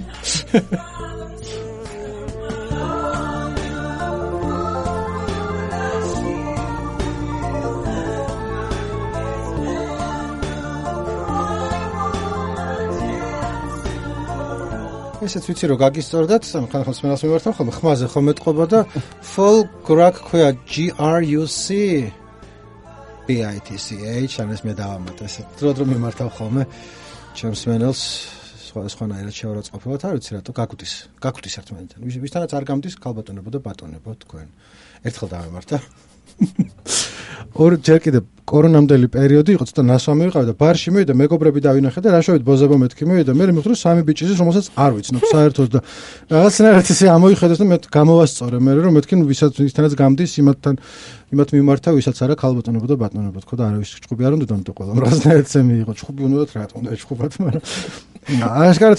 ესეც ვიცი რომ გაგისწორდათ ხანხან სმენელს მიმართავ ხოლმე ხმაზე ხომ ეთყობა და folk rock ქვია G R U C B I T C H ან ეს მე დავამატე ესე დრო დრო მიმართავ ხოლმე ჩემს სმენელს სხვა სხვანაირად შევარაცხყოფილად არ ვიცი რატო გაგუდის გაგუდის ერთმანეთთან ვისთანაც არ გამდის ქალბატონებო და ბატონებო თქვენ ერთხელ დავემართა ორ ჯერ კიდე კორონამდელი პერიოდი იყო, ცოტა ნასვამი ვიყავი და ბარში მივიდა, მეგობრები დავინახე და რა შევით ბოზებო მეთქი მივიდა, მე მივხვდი სამი ბიჭი ის რომელსაც არ ვიცნობ საერთოდ და რაღაცნაირად ისე ამოიხედოს და მე გამოვასწორე მე რომ მეთქი ვისაც ვისთანაც გამდის იმათთან იმათ მიმართა ვისაც არა ქალბატონობა და ბატონობა თქო და არავის ჭუბი არ უნდა დონდო ყველა რაღაცნაირად ესე მიიღო ჭუბი უნდათ რა თქმა უნდა ჭუბად მაგრამ აშკარად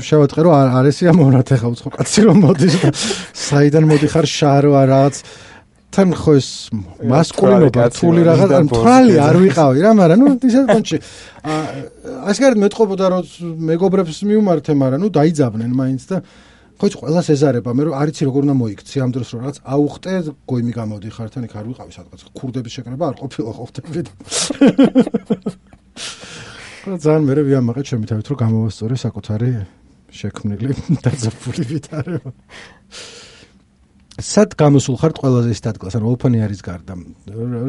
შევატყე რომ არ ესი ამოვნათ ახლა უცხო კაცი რომ მოდის და საიდან მოდიხარ შარო რაღაც თან ხო ეს მასკულინობა თული რაღაც თვალი არ ვიყავი რა მაგრამ ნუ ისეთ კონჩი აშკარად მეტყობოდა რომ მეგობრებს მიუმართე მაგრამ ნუ დაიძაბნენ მაინც და ხო იცი ყველას ეზარება მე რომ არიცი როგორ უნდა მოიქცი ამ დროს რომ რაღაც აუხტე გოიმი გამოდიხარ თან იქ არ ვიყავი სადღაც ქურდების შეკრება არ ყოფილა ყოფდები და ძალიან მე ვიამაყე ჩემი თავით რომ გამოვასწორე საკუთარი შექმნილი დაძაბული ვითარება სად გამოსულ ხართ ყველაზე ის დადგას ანუ ოფენი არის გარდა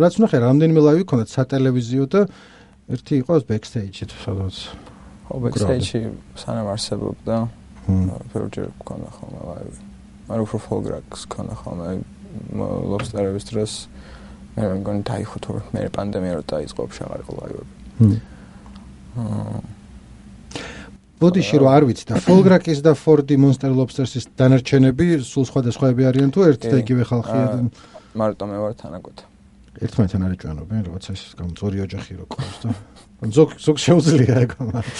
რაც ვნახე რამდენიმე ლაივი ქონდათ სატელევიზიო და ერთი იყო ბექსტეიჯი სადაც ხო ბექსტეიჯი სანამ არსებობდა ფეროჯერ ქონდა ხოლმე ლაივი მაგრამ უფრო ფოლგრაკს ქონდა ხოლმე ლობსტერების დროს მე მგონი დაიხო თუ მე პანდემია რო დაიწყო აღარ იყო ლაივები ბოდიში რო არ ვიცი და ფოლგრაკის და ფორდი მონსტერ ლობსტერსის დანარჩენები სულ სხვადასხვაები არიან თუ ერთი და იგივე ხალხია მარტო მე ვარ თანაგოთ ერთმანეთთან არ ეჭვანობენ როგორც ეს გამწორი ოჯახი რო ყავს და ზოგ ზოგ შეუძლია ეგ მაგრამ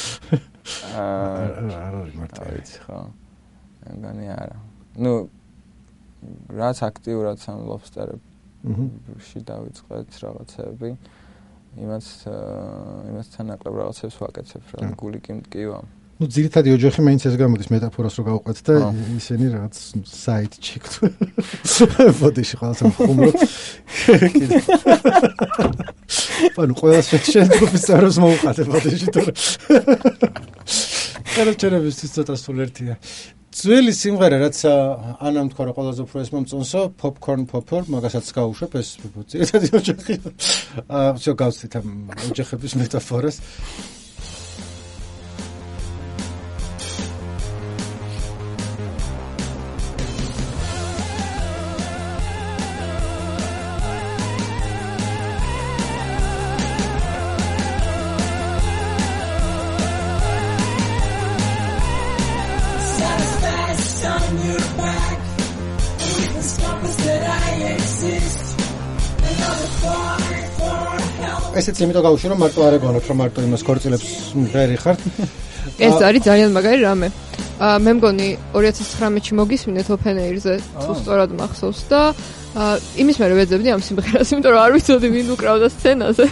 არ არის მარტო ვიცი ხო მგონი არა ნუ რაც აქტიურად სამ ლობსტერებში დავიწყეთ რაღაცები იმას იმასთან ნაკლებ რაღაცებს ვაკეთებ რა გული კი მტკივა ну ძირითადი ოჯახი მაინც ეს გამოდის მეტაფორას რო გავყვეთ და ისინი რაღაც საით ჩიქთ ბოდიში ყველას ხუმრობ კიდე ანუ ყველას შეჭერებს წაროს მოუყადე ბოდიში თორე კაროჩერებისთვის ცოტა სულერთია ძველი სიმღერა რაც ანამ თქვა რომ ყველაზე უფრო ეს მომწონსო popcorn popper მაგასაც გავუშვებ ეს ძირითადი ოჯახი აა შო გავცით ამ ოჯახების მეტაფორას ესეც იმიტომ გავუშვი რომ მარტო არ ეგონოთ რომ მარტო იმას ქორწილებს მღერი ხართ ეს არის ძალიან მაგარი რამე მე მგონი ორი ათას ცხრამეტში მოგისმინეთ open air-ზე თუ სწორად მახსოვს და იმის მერე ვეძებდი ამ სიმღერას იმიტომ რომ არ ვიცოდი ვინ უკრავდა სცენაზე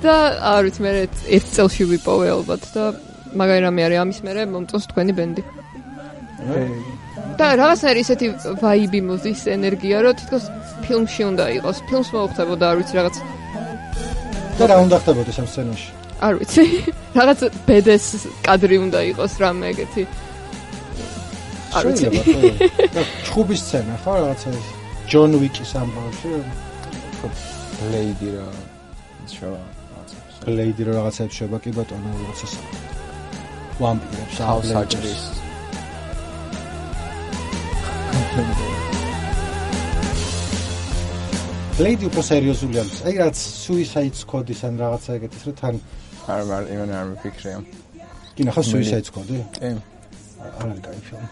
და არ ვიცი მე ერთ წელში ვიპოვე ალბათ და მაგარი რამე არის ამის მერე მომწონს თქვენი ბენდი და რაღაცნაირი ისეთი ვაიბი მოდის ენერგია რომ თითქოს ფილმში უნდა იყოს ფილმს მოუხდებოდა არ ვიცი რაღაც და რა უნდა ხდებოდეს ამ სცენაში? არ ვიცი. რაღაც ბედეს კადრი უნდა იყოს რამე ეგეთი. არ ვიცი. და ჩხუბის სცენა ხო რაღაცა ის ჯონ ვიკის ამბავში? ლეიდი რა შევა. ლეიდი რა რაღაცებს შევა კი ბატონო რაღაცას. ვამპირებს ავსაჭრის. ლეიდი უფრო სერიოზული არის. აი რაც Suicide Squad-ის ან რაღაცა ეგეთის რომ თან არ არ იმენ არ მიფიქრია. კი ნახა Suicide Squad-ი? კი. არ არის კაი ფილმი.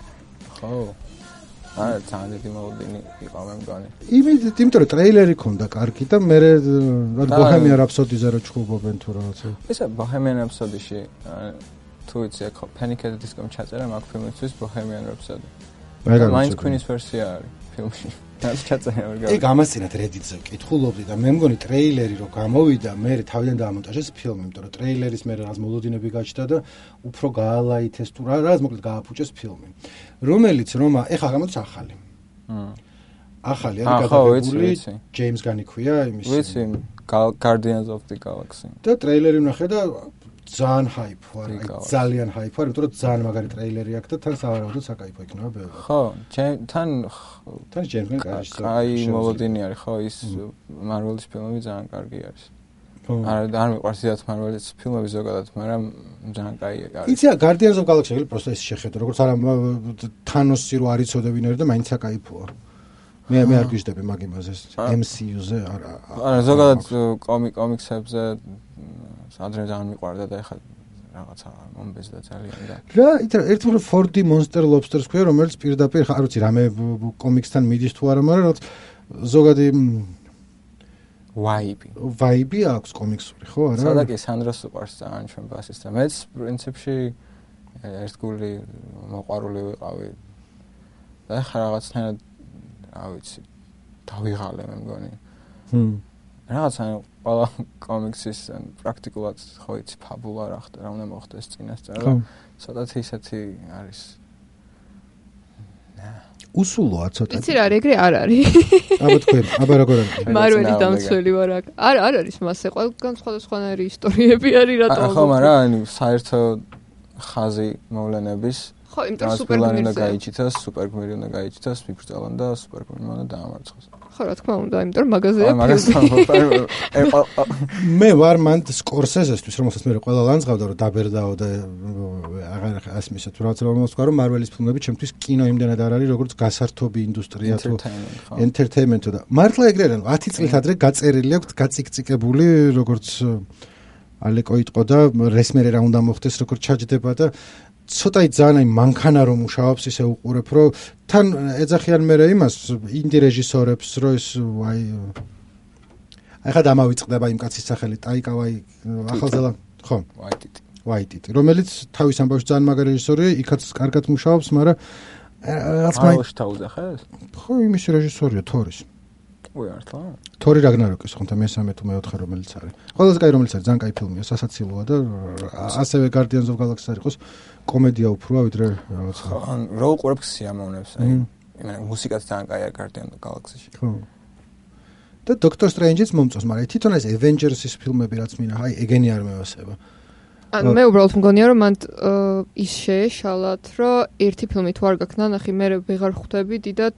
ხო. არა თანდეთი მოლოდინი იყო მე მგონი. იმით იმიტომ რომ ტრეილერი ქონდა კარგი და მე რა Bohemian Rhapsody-ზე რო ჩხუბობენ თუ რაღაცა. ისა Bohemian Rhapsody-ში თუ იცი ხო Panic! At the Disco-მ ჩაწერა მაგ ფილმისთვის Bohemian Rhapsody. მაინც Queen-ის ვერსია არის ფილმში. რაც ჩაწერა ვერ გავიგე. ეგ ამასწინათ Reddit-ზე ვკითხულობდი და მე მგონი ტრეილერი რო გამოვიდა, მე თავიდან დაამონტაჟეს ფილმი, იმიტომ რომ ტრეილერის მე რაღაც მოლოდინები გაჩნდა და უფრო გაალაითეს თუ რა, რაღაც მოკლედ გააფუჭეს ფილმი. რომელიც რომ ეხლა გამოდის ახალი. მმ. ახალი არის გადაღებული, James Gunn-ი ქვია იმის. ვიცი, Guardians of the Galaxy. და ტრეილერი ვნახე და ძალიან hype ვარ, ძალიან hype ვარ, იმიტომ რომ ძალიან მაგარი ტრეილერი აქვს და თან სავარაუდოდ საკაიფო იქნება ბევრი. ხო, თან თან James Gunn კარგი. აი მოლოდინი არის, ხო, ის Marvel-ის ფილმები ძალიან კარგი არის. არა, არ მიყვარს ისეთ Marvel-ის ფილმები ზოგადად, მაგრამ ძალიან კაია არის. იცი, Guardians of the Galaxy-ი პროსტა ის შეხედო, როგორც არა Thanos-ი რო არ იცოდე ვინ არის და მაინც საკაიფოა. მე მე არ გიждები მაგ იმაზე M C U-ზე არა არა ზოგადად კომიქსებზე ადრე ძალიან მიყვარდა და ეხლა რაღაცა მომბეზდა ძალიან და რა ერთმანეთს four D Monster Lobster-ს ქვია რომელიც პირდაპირ არ ვიცი რამე კომიქსთან მიდის თუ არა მაგრამ ზოგადი ვაიბი ვაიბი აქვს კომიქსური ხო არა სადა კი სანდროს უყარს ძალიან ჩვენ ბასისტს და მეც პრინციპში ერთგული მოყვარული ვიყავი და ხა რაღაცნაირად რა ვიცი დავიღალე მე მგონი ჰმ რაღაცა ყველა კომიქსის პრაქტიკულად ხო იცი ფაბულა რა ხდა რა უნდა მოხდეს წინასწარ და ცოტათი ისეთი არის უსულოა ცოტა იცი რა ეგრე არ არის აბა თქვენ აბა როგორ არის მარველი დამცველი ვარ აქ არ არ არის მასე ყველგან სხვადასხვანაირი ისტორიები არის რატო ხო მაგრამ ანუ საერთო ხაზი მოვლენების ხო იმიტომ სუპერგმირზე უნდა გაიჩითოს სუპერგმირი უნდა გაიჩითოს მიფრწალონ და სუპერგმირი უნდა დაამარცხოს ხო რა თქმა უნდა იმიტომ რომ მაგაზია მე ვარ მან სკორსეზესთვის რომელსაც მე ყველა ლანძღავდა რომ დაბერდაო და აღარ ასმისა თუ რაღაც რომ მოსკვა რომ მარველის ფილმები ჩემთვის კინო იმდენად არ არის როგორც გასართობი ინდუსტრია თუ ენტერტეინმენტო და მართლა ეგრე არა ათი წლით ადრე გაწერილი აქვს გაციკციკებული როგორც ალეკო იტყო და რესმერე რა უნდა მოხდეს როგორც ჩაჯდება და ცოტაი ძალიან აი მანქანა რომ მუშაობს ისე უყურებ რომ თან ეძახიან მე იმას ინდი რეჟისორებს რომ ეს აი ახლა დამავიწყდება იმ კაცის სახელი ტაიკა ვაი ახალზელა ხო ვაიტიტი ვაიტიტი რომელიც თავის ამბავში ძალიან მაგარი რეჟისორია იქაც კარგად მუშაობს მაგრამ რაღაც მაინც თავუძახეს ხო იმის რეჟისორია თორის ой ართლა თორი რაგნაროკის ხონდა მესამე თუ მეოთხე რომელიც არის ყველაზე კაი რომელიც არის ძალიან კაი ფილმია სასაცილოა და ასევე Guardians of Galaxy არ იყოს კომედია უფროა ვიდრე რაღაცა ხო ან რა უყურებ სიამოვნებს აი იმენა მუსიკაც ძალიან კაი არის Guardians of Galaxy-ში ხო და Doctor Strange-იც მომწონს მაგრამ თვითონ ეს Avengers-ის ფილმები რაც მინა აი ეგენი არ მევასება ან მე უბრალოდ მგონია რომ მან ის შეეშალათ რომ ერთი ფილმი თუ არ გაქვს ნანახი მე ვეღარ ხვდები დიდად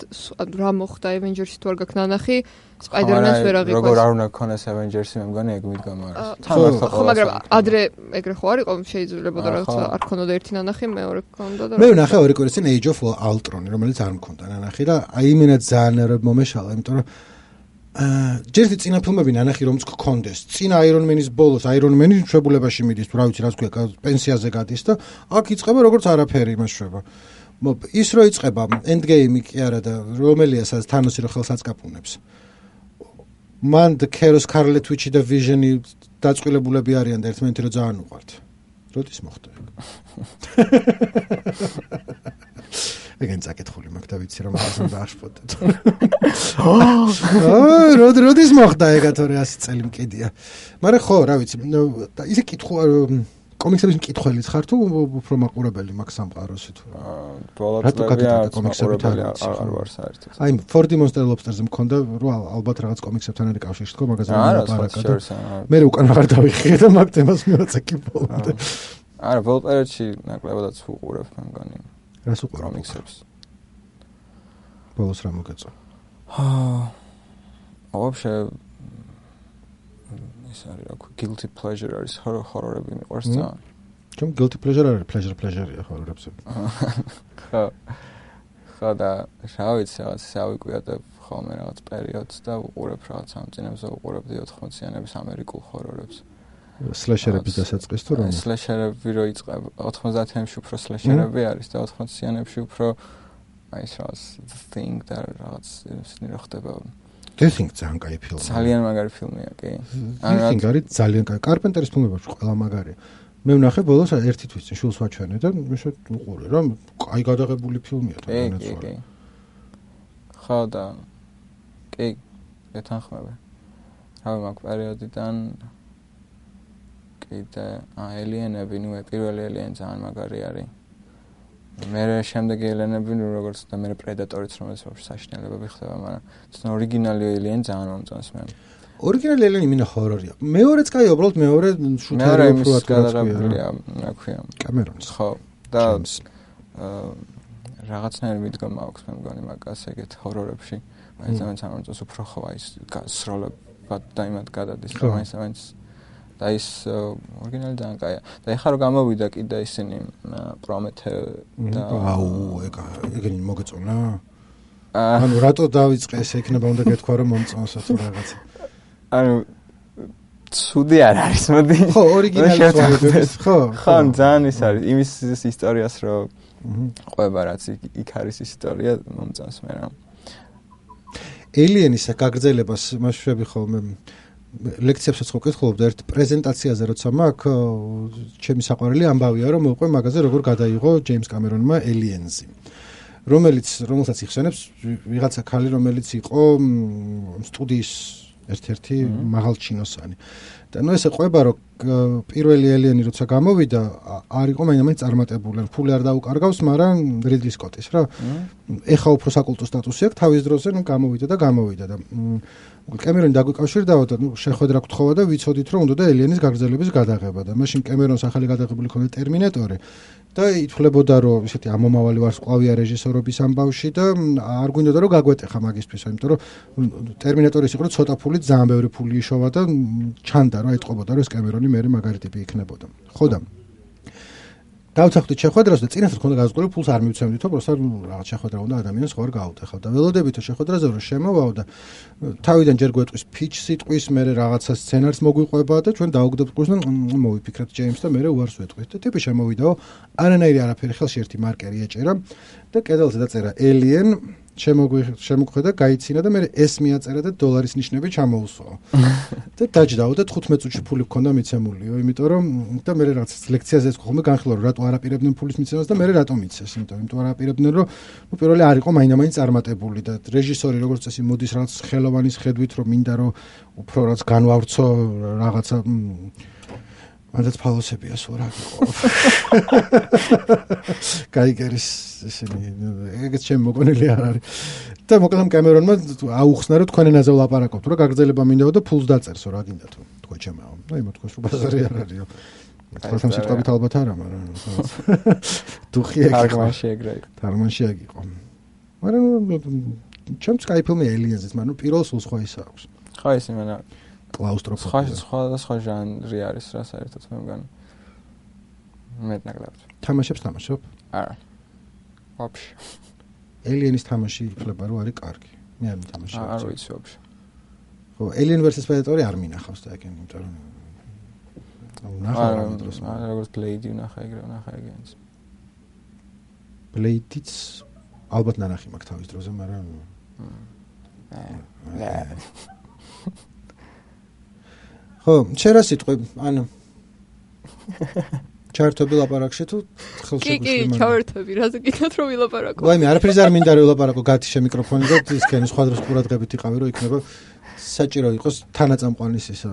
რა მოხდა Avengers-ი თუ არ გაქვს ნანახი Spider-Man-ს ვერ აღიქვას როგორ არ უნდა ქონდეს Avengers-ი მე მგონი ეგ მიდგომა არის ხო მაგრამ ადრე ეგრე ხო არ იყო შეიძლებოდა რაღაცა არ ქონოდა ერთი ნანახი მეორე ქონდა და მე ვნახე ორი კვირის წინ Age of Ultron რომელიც არ მქონდა ნანახი და აი იმენა ძალიან მომეშალა იმიტომ რომ აა ჯერდი წინა ფილმები ნანახი რომც გქონდეს. წინა Iron Man-ის ბოლოს Iron Man-ი მშობლებაში მიდის, თუ რა ვიცი, რაც ქვია, პენსიაზე გადის და აქ იწყება როგორც არაფერი იმაშვება. ის რო იწყება Endgame-ი კი არა და რომელია სადაც თანოსი რო ხელს აწკაპუნებს. მან და Kero Scarlet Witch და Vision-ი დაწყვილებულები არიან და ერთმანეთი რო ძალიან უყვართ. როდის მოხდა ეგ? ეგენ წაკითხული მაგ და ვიცი რომ ასე დააშფოთეთ. აა როდ როდის მოხდა ეგა თორე ასი წელი მკიდია. მაგრამ ხო, რა ვიცი, ისე კითხვა კომიქსების მკითხველიც ხარ თუ უფრო მაყურებელი მაგ სამყაროსი თუ ბოლოტლებია კომიქსებით არ ვარ საერთოდ. აი four D Monster Lobster-ზე მქონდა რომ ალბათ რაღაც კომიქსებთან არის კავშირი თქო მაგაზე ლაპარაკა და მე უკან აღარ დავიხიე და მაგ თემას მივაწაკი ბოლომდე. არა, ბოლო პერიოდში ნაკლებადაც უყურებ მე მგონი. რას უყურებ კომიქსებს? ბოლოს რა მოგეწო? აა вообще ის არის რა guilty pleasure არის ჰორორები მიყვარს ძალიან. ჩემ guilty pleasure არის pleasure pleasure-ია ჰორორებზე. ხო. ხო და რა ვიცი რაღაც ავიკვიატებ ხოლმე რაღაც პერიოდს და უყურებ რაღაც ამ წინებზე უყურებ ოთხმოციანების ამერიკულ ჰორორებს. სლეშერების დასაწყის თუ რა? სლეშერები რო იწყება ოთხმოციანებში უფრო სლეშერები არის და ოთხმოციანებში უფრო აი ეს რაღაც the thing და რაღაც ისინი რო ხდება. The Thing ძალიან კაი ფილმია. ძალიან მაგარი ფილმია, კი. The Thing არის ძალიან კაი. კარპენტერის ფილმებში ყველა მაგარია. მე ვნახე ბოლოს ერთი თვის წინ შულს ვაჩვენე და მე უყურე რა, კაი გადაღებული ფილმია თვითონაც. კი, კი. ხო და კი, ეთანხმება. რავი მაგ პერიოდიდან კიდე ალიენები, ნუ პირველი ალიენი ძალიან მაგარი არის. მერე შემდეგი ალიენები, ნუ როგორც და მერე პრედატორიც რომელიც ვაფშე საშინელებები ხდება, მაგრამ ცოტა ორიგინალი ალიენი ძალიან მომწონს მე. ორიგინალი ალიენი მინდა ჰორორია. მეორეც კაი, უბრალოდ მეორე შუთარი უფრო აკადემია, რა ქვია. კამერონის. ხო, და აა რაღაცნაირი მიდგომა აქვს მე მგონი მაგას ეგეთ ჰორორებში. მაინც ამან სამომწონს უფრო ხო აი ეს სროლებად და იმად გადადის, მაინც ამან და ის ორიგინალი ძალიან კაია. და ეხლა რომ გამოვიდა კიდე ისინი პრომეთე და აუ ეგ ეგენი მოგეწონა. ანუ რატო დავიწყე ეს იქნება უნდა გეთქვა რომ მომწონსო თუ რაღაცა. ანუ ცუდი არ არის, მოდი. ხო, ორიგინალი ვარდების, ხო. ხო, ძალიან ის არის, იმის ისტორიას რომ ყვება რაც იქ არის ისტორია მომწონს მე რა. Alien-ის გაგრძელებას მასშტაბი ხოლმე ლექციებსაც ხო კითხულობდა ერთ პრეზენტაციაზე როცა მაქვს ჩემი საყვარელი ამბავია რომ მოყვე მაგაზე როგორ გადაიღო ჯეიმს კამერონმა Aliens-ი რომელიც რომელსაც იხსენებს ვიღაცა ქალი რომელიც იყო სტუდიის ერთ-ერთი მაღალჩინოსანი და ნუ ესე ყვება რომ პირველი Alien-ი როცა გამოვიდა არ იყო მაინც წარმატებული ფული არ დაუკარგავს მაგრამ რიდლი სკოტის რა ეხა უფრო საკულტო სტატუსი აქვს თავის დროზე ნუ გამოვიდა და გამოვიდა და კემერონი დაგვიკავშირდა და ნუ შეხვედრა გთხოვა და ვიცოდით რომ უნდა და Alien-ის გაგრძელების გადაღება და მაშინ კემერონს ახალი გადაღებული ქონდა ტერმინატორი და ითვლებოდა რომ ისეთი ამომავალი ვარსკვლავია რეჟისორობის ამბავში და არ გვინდოდა რომ გაგვეტეხა მაგისთვის იმიტომ რომ ტერმინატორის იყო ცოტა ფული ძალიან ბევრი ფული იშოვა და ჩანდა რომ ეტყობოდა რომ ეს კემერონი მე მაგარი ტიპი იქნებოდა ხო და დავწახდით შეხვედრას და წინასწარ ქონდა გაზღვრილი ფულს არ მივცემდითო პროსტა რაღაც შეხვედრა უნდა ადამიანს ხო არ გაუტეხავ და ველოდებითო შეხვედრაზე რომ შემოვაო და თავიდან ჯერ გვეტყვის pitch სიტყვის მე რაღაცა სცენარს მოგვიყვება და ჩვენ დაუგდებთ ყურს და მოვიფიქრეთ ჯეიმს და მე უარს ვეტყვით და ტიპი შემოვიდაო არანაირი არაფერი ხელში ერთი მარკერი ეჭერა და კედელზე დაწერა Alien შემოგვხედა გაიცინა და მე ეს მიაწერა და დოლარის ნიშნები ჩამოუსვაო და დაჯდაო და თხუთმეტ წუთში ფული გქონდა მიცემულიო იმიტომ რომ და მე რაღაც ლექციაზე ეს ხოლმე განხილვა რომ რატო არაპირებდნენ ფულის მიცემას და მე რატო მიცეს იმიტომ იმიტომ არაპირებდნენ რომ ნუ პირველი არ იყო მაინდა-მაინც წარმატებული და რეჟისორი როგორც წესი მოდის რაღაც ხელოვანის ხედვით რომ მინდა რომ უფრო რაც განვავრცო რაღაცა მანდაც ფალოსებია სულ რა გიყო. გაიგერის ესენი ეგეც ჩემ მოგონილი არ არის. და მოკლედ კამერონმა აუხსნა რომ თქვენ ენაზე ვლაპარაკობთ, რომ გაგრძელება მინდაო და ფულს დაწერსო რა გინდა თუ თქვენ ჩემაო. და იმო თქვენს რომ ბაზარი არ არისო. თქვენ სიტყვებით ალბათ არა, მაგრამ დუხი ეგ თარმანში ეგრე იყო. თარმანში ეგ იყო. მაგრამ ჩემს კაიფილმე Aliens-ით, მაგრამ პირველ სულ სხვა ის აქვს. ხო ეს იმენა კლაუსტროფობია. სხვა სხვა სხვა ჟანრი არის რა საერთოდ მე მგონი. მეტნაკლებად. თამაშებს თამაშობ? არა. ვაფშე. Alien-ის თამაში იფლება რომ არის კარგი. მე არ მითამაშე. არ ვიცი ვაფშე. ხო, Alien versus Predator არ მინახავს და ეგენ, იმიტომ რომ ნახავ რა დროს. არა, როგორც Blade ვნახა ეგრე ვნახა ეგენს. Blade-იც ალბათ ნანახი მაქვს თავის დროზე, მაგრამ აა ხო, შენ რა სიტყვი, ანუ ჩართობი ლაპარაკში თუ ხელშეკუშები კი, კი, ჩავერთები, რაზე გითხრათ რომ ვილაპარაკო. ვაიმე, არაფერს არ მინდა რომ ვილაპარაკო, გათიშე მიკროფონი და ისქენი სხვა დროს ყურადღებით იყავი რომ იქნება საჭირო იყოს თანაწამყვანის ისა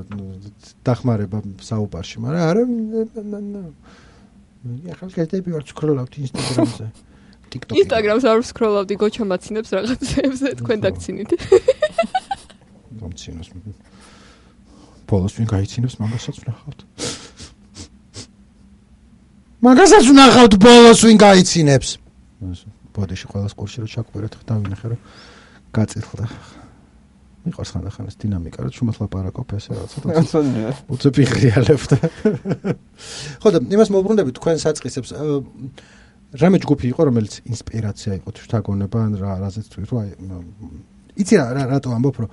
დახმარება საუბარში, მაგრამ არა მე ახალ კეთები ვარ სკროლავთ ინსტაგრამზე. TikTok-ზე. ინსტაგრამს არ ვსკროლავდი, გოჩა მაცინებს რაღაცებზე, თქვენ დაგცინით. მომცინოს. ბოლოს ვინ გაიცინებს მაგასაც ვნახავთ. მაგასაც ვნახავთ ბოლოს ვინ გაიცინებს. ბოდიში ყველას კურსში რო ჩაკვირეთ დავინახე რომ გაწითხდა. მიყვარს ხანდახან ეს დინამიკა რომ შუმად ლაპარაკობ ესე რაღაცა. უცებ იღრიალებდა. ხო და იმას მოვბრუნდებით თქვენ საწყისებს რამე ჯგუფი იყო რომელიც ინსპირაცია იყო შთაგონება ან რა რაზეც თქვი რომ აი იცი რა რატო ამბობ რომ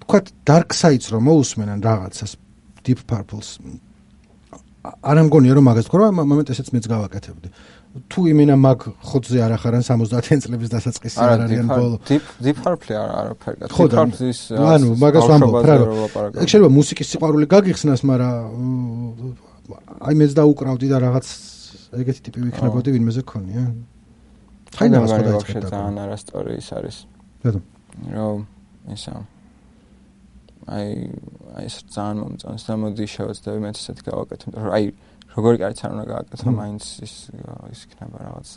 თქვა Dark Sides რომ მოусმენან რაღაცას Deep Purple-ს არ ამგონია რომ მაგას თქვა რომ მომენტ ესეც მეც გავაკეთებდი თუ იმენა მაგ ხოთზე არ ახარან სამოცდაათი წლების დასაწყისი არ არიან ბოლო Deep Deep Purple არ არაფერი Deep Purple-ის ანუ მაგას ვამბობ რა ეგ შეიძლება მუსიკის სიყვარული გაგიხსნას მაგრამ აი მეც დაუკრავდი და რაღაც ეგეთი ტიპი ვიქნებოდი ვინმეზე გქონია ხაინას ხო დაიწყე ძალიან არასწორი ის არის რატომ რომ ისა აი აი ეს ძალიან მომწონს და მოდი შევეცდები მეც ესეთი გავაკეთო აი როგორი კარიც არ უნდა გააკეთო მაინც ის ის იქნება რაღაც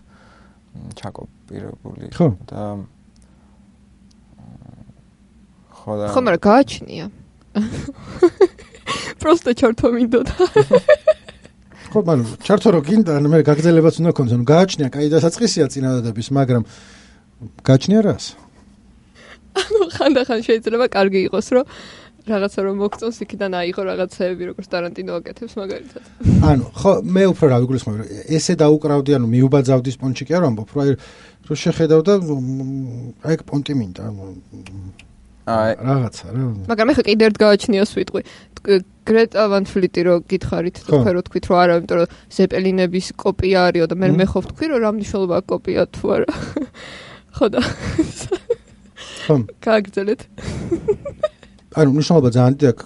ჩაკოპირებული და ხო და ხო მაგრამ გააჩნია просто ჩართო მინდოდა ხო მაგრამ ჩართო რო გინდა მე გაგრძელებაც უნდა ქონდეს ანუ გააჩნია კაი დასაწყისია წინადადების მაგრამ გააჩნია რას ანუ ხანდახან შეიძლება კარგი იყოს რომ რაღაცა რომ მოგწონს იქიდან აიღო რაღაცეები როგორც ტარანტინო აკეთებს მაგალითად. ანუ ხო მე უფრო რა ვიგულისხმობ ესე დაუკრავდი ანუ მიუბაძავდი სპონჩი კი არ ვამბობ რომ აი რო შეხედავ და აი ეგ პონტი მინდა აი რაღაცა რა მაგრამ ეხლა კიდე ერთ გააჩნია სვიტყვი გრეტა ვან ფლიტი რო გითხარით და თქვენ რო თქვით რომ არა იმიტომ რომ ზეპელინების კოპია არისო და მე მე ხო ვთქვი რომ რა მნიშვნელობა აქვს კოპია თუ არა ხო და ხო გააგრძელეთ ანუ მნიშვნელობა ძალიან დიდი აქვს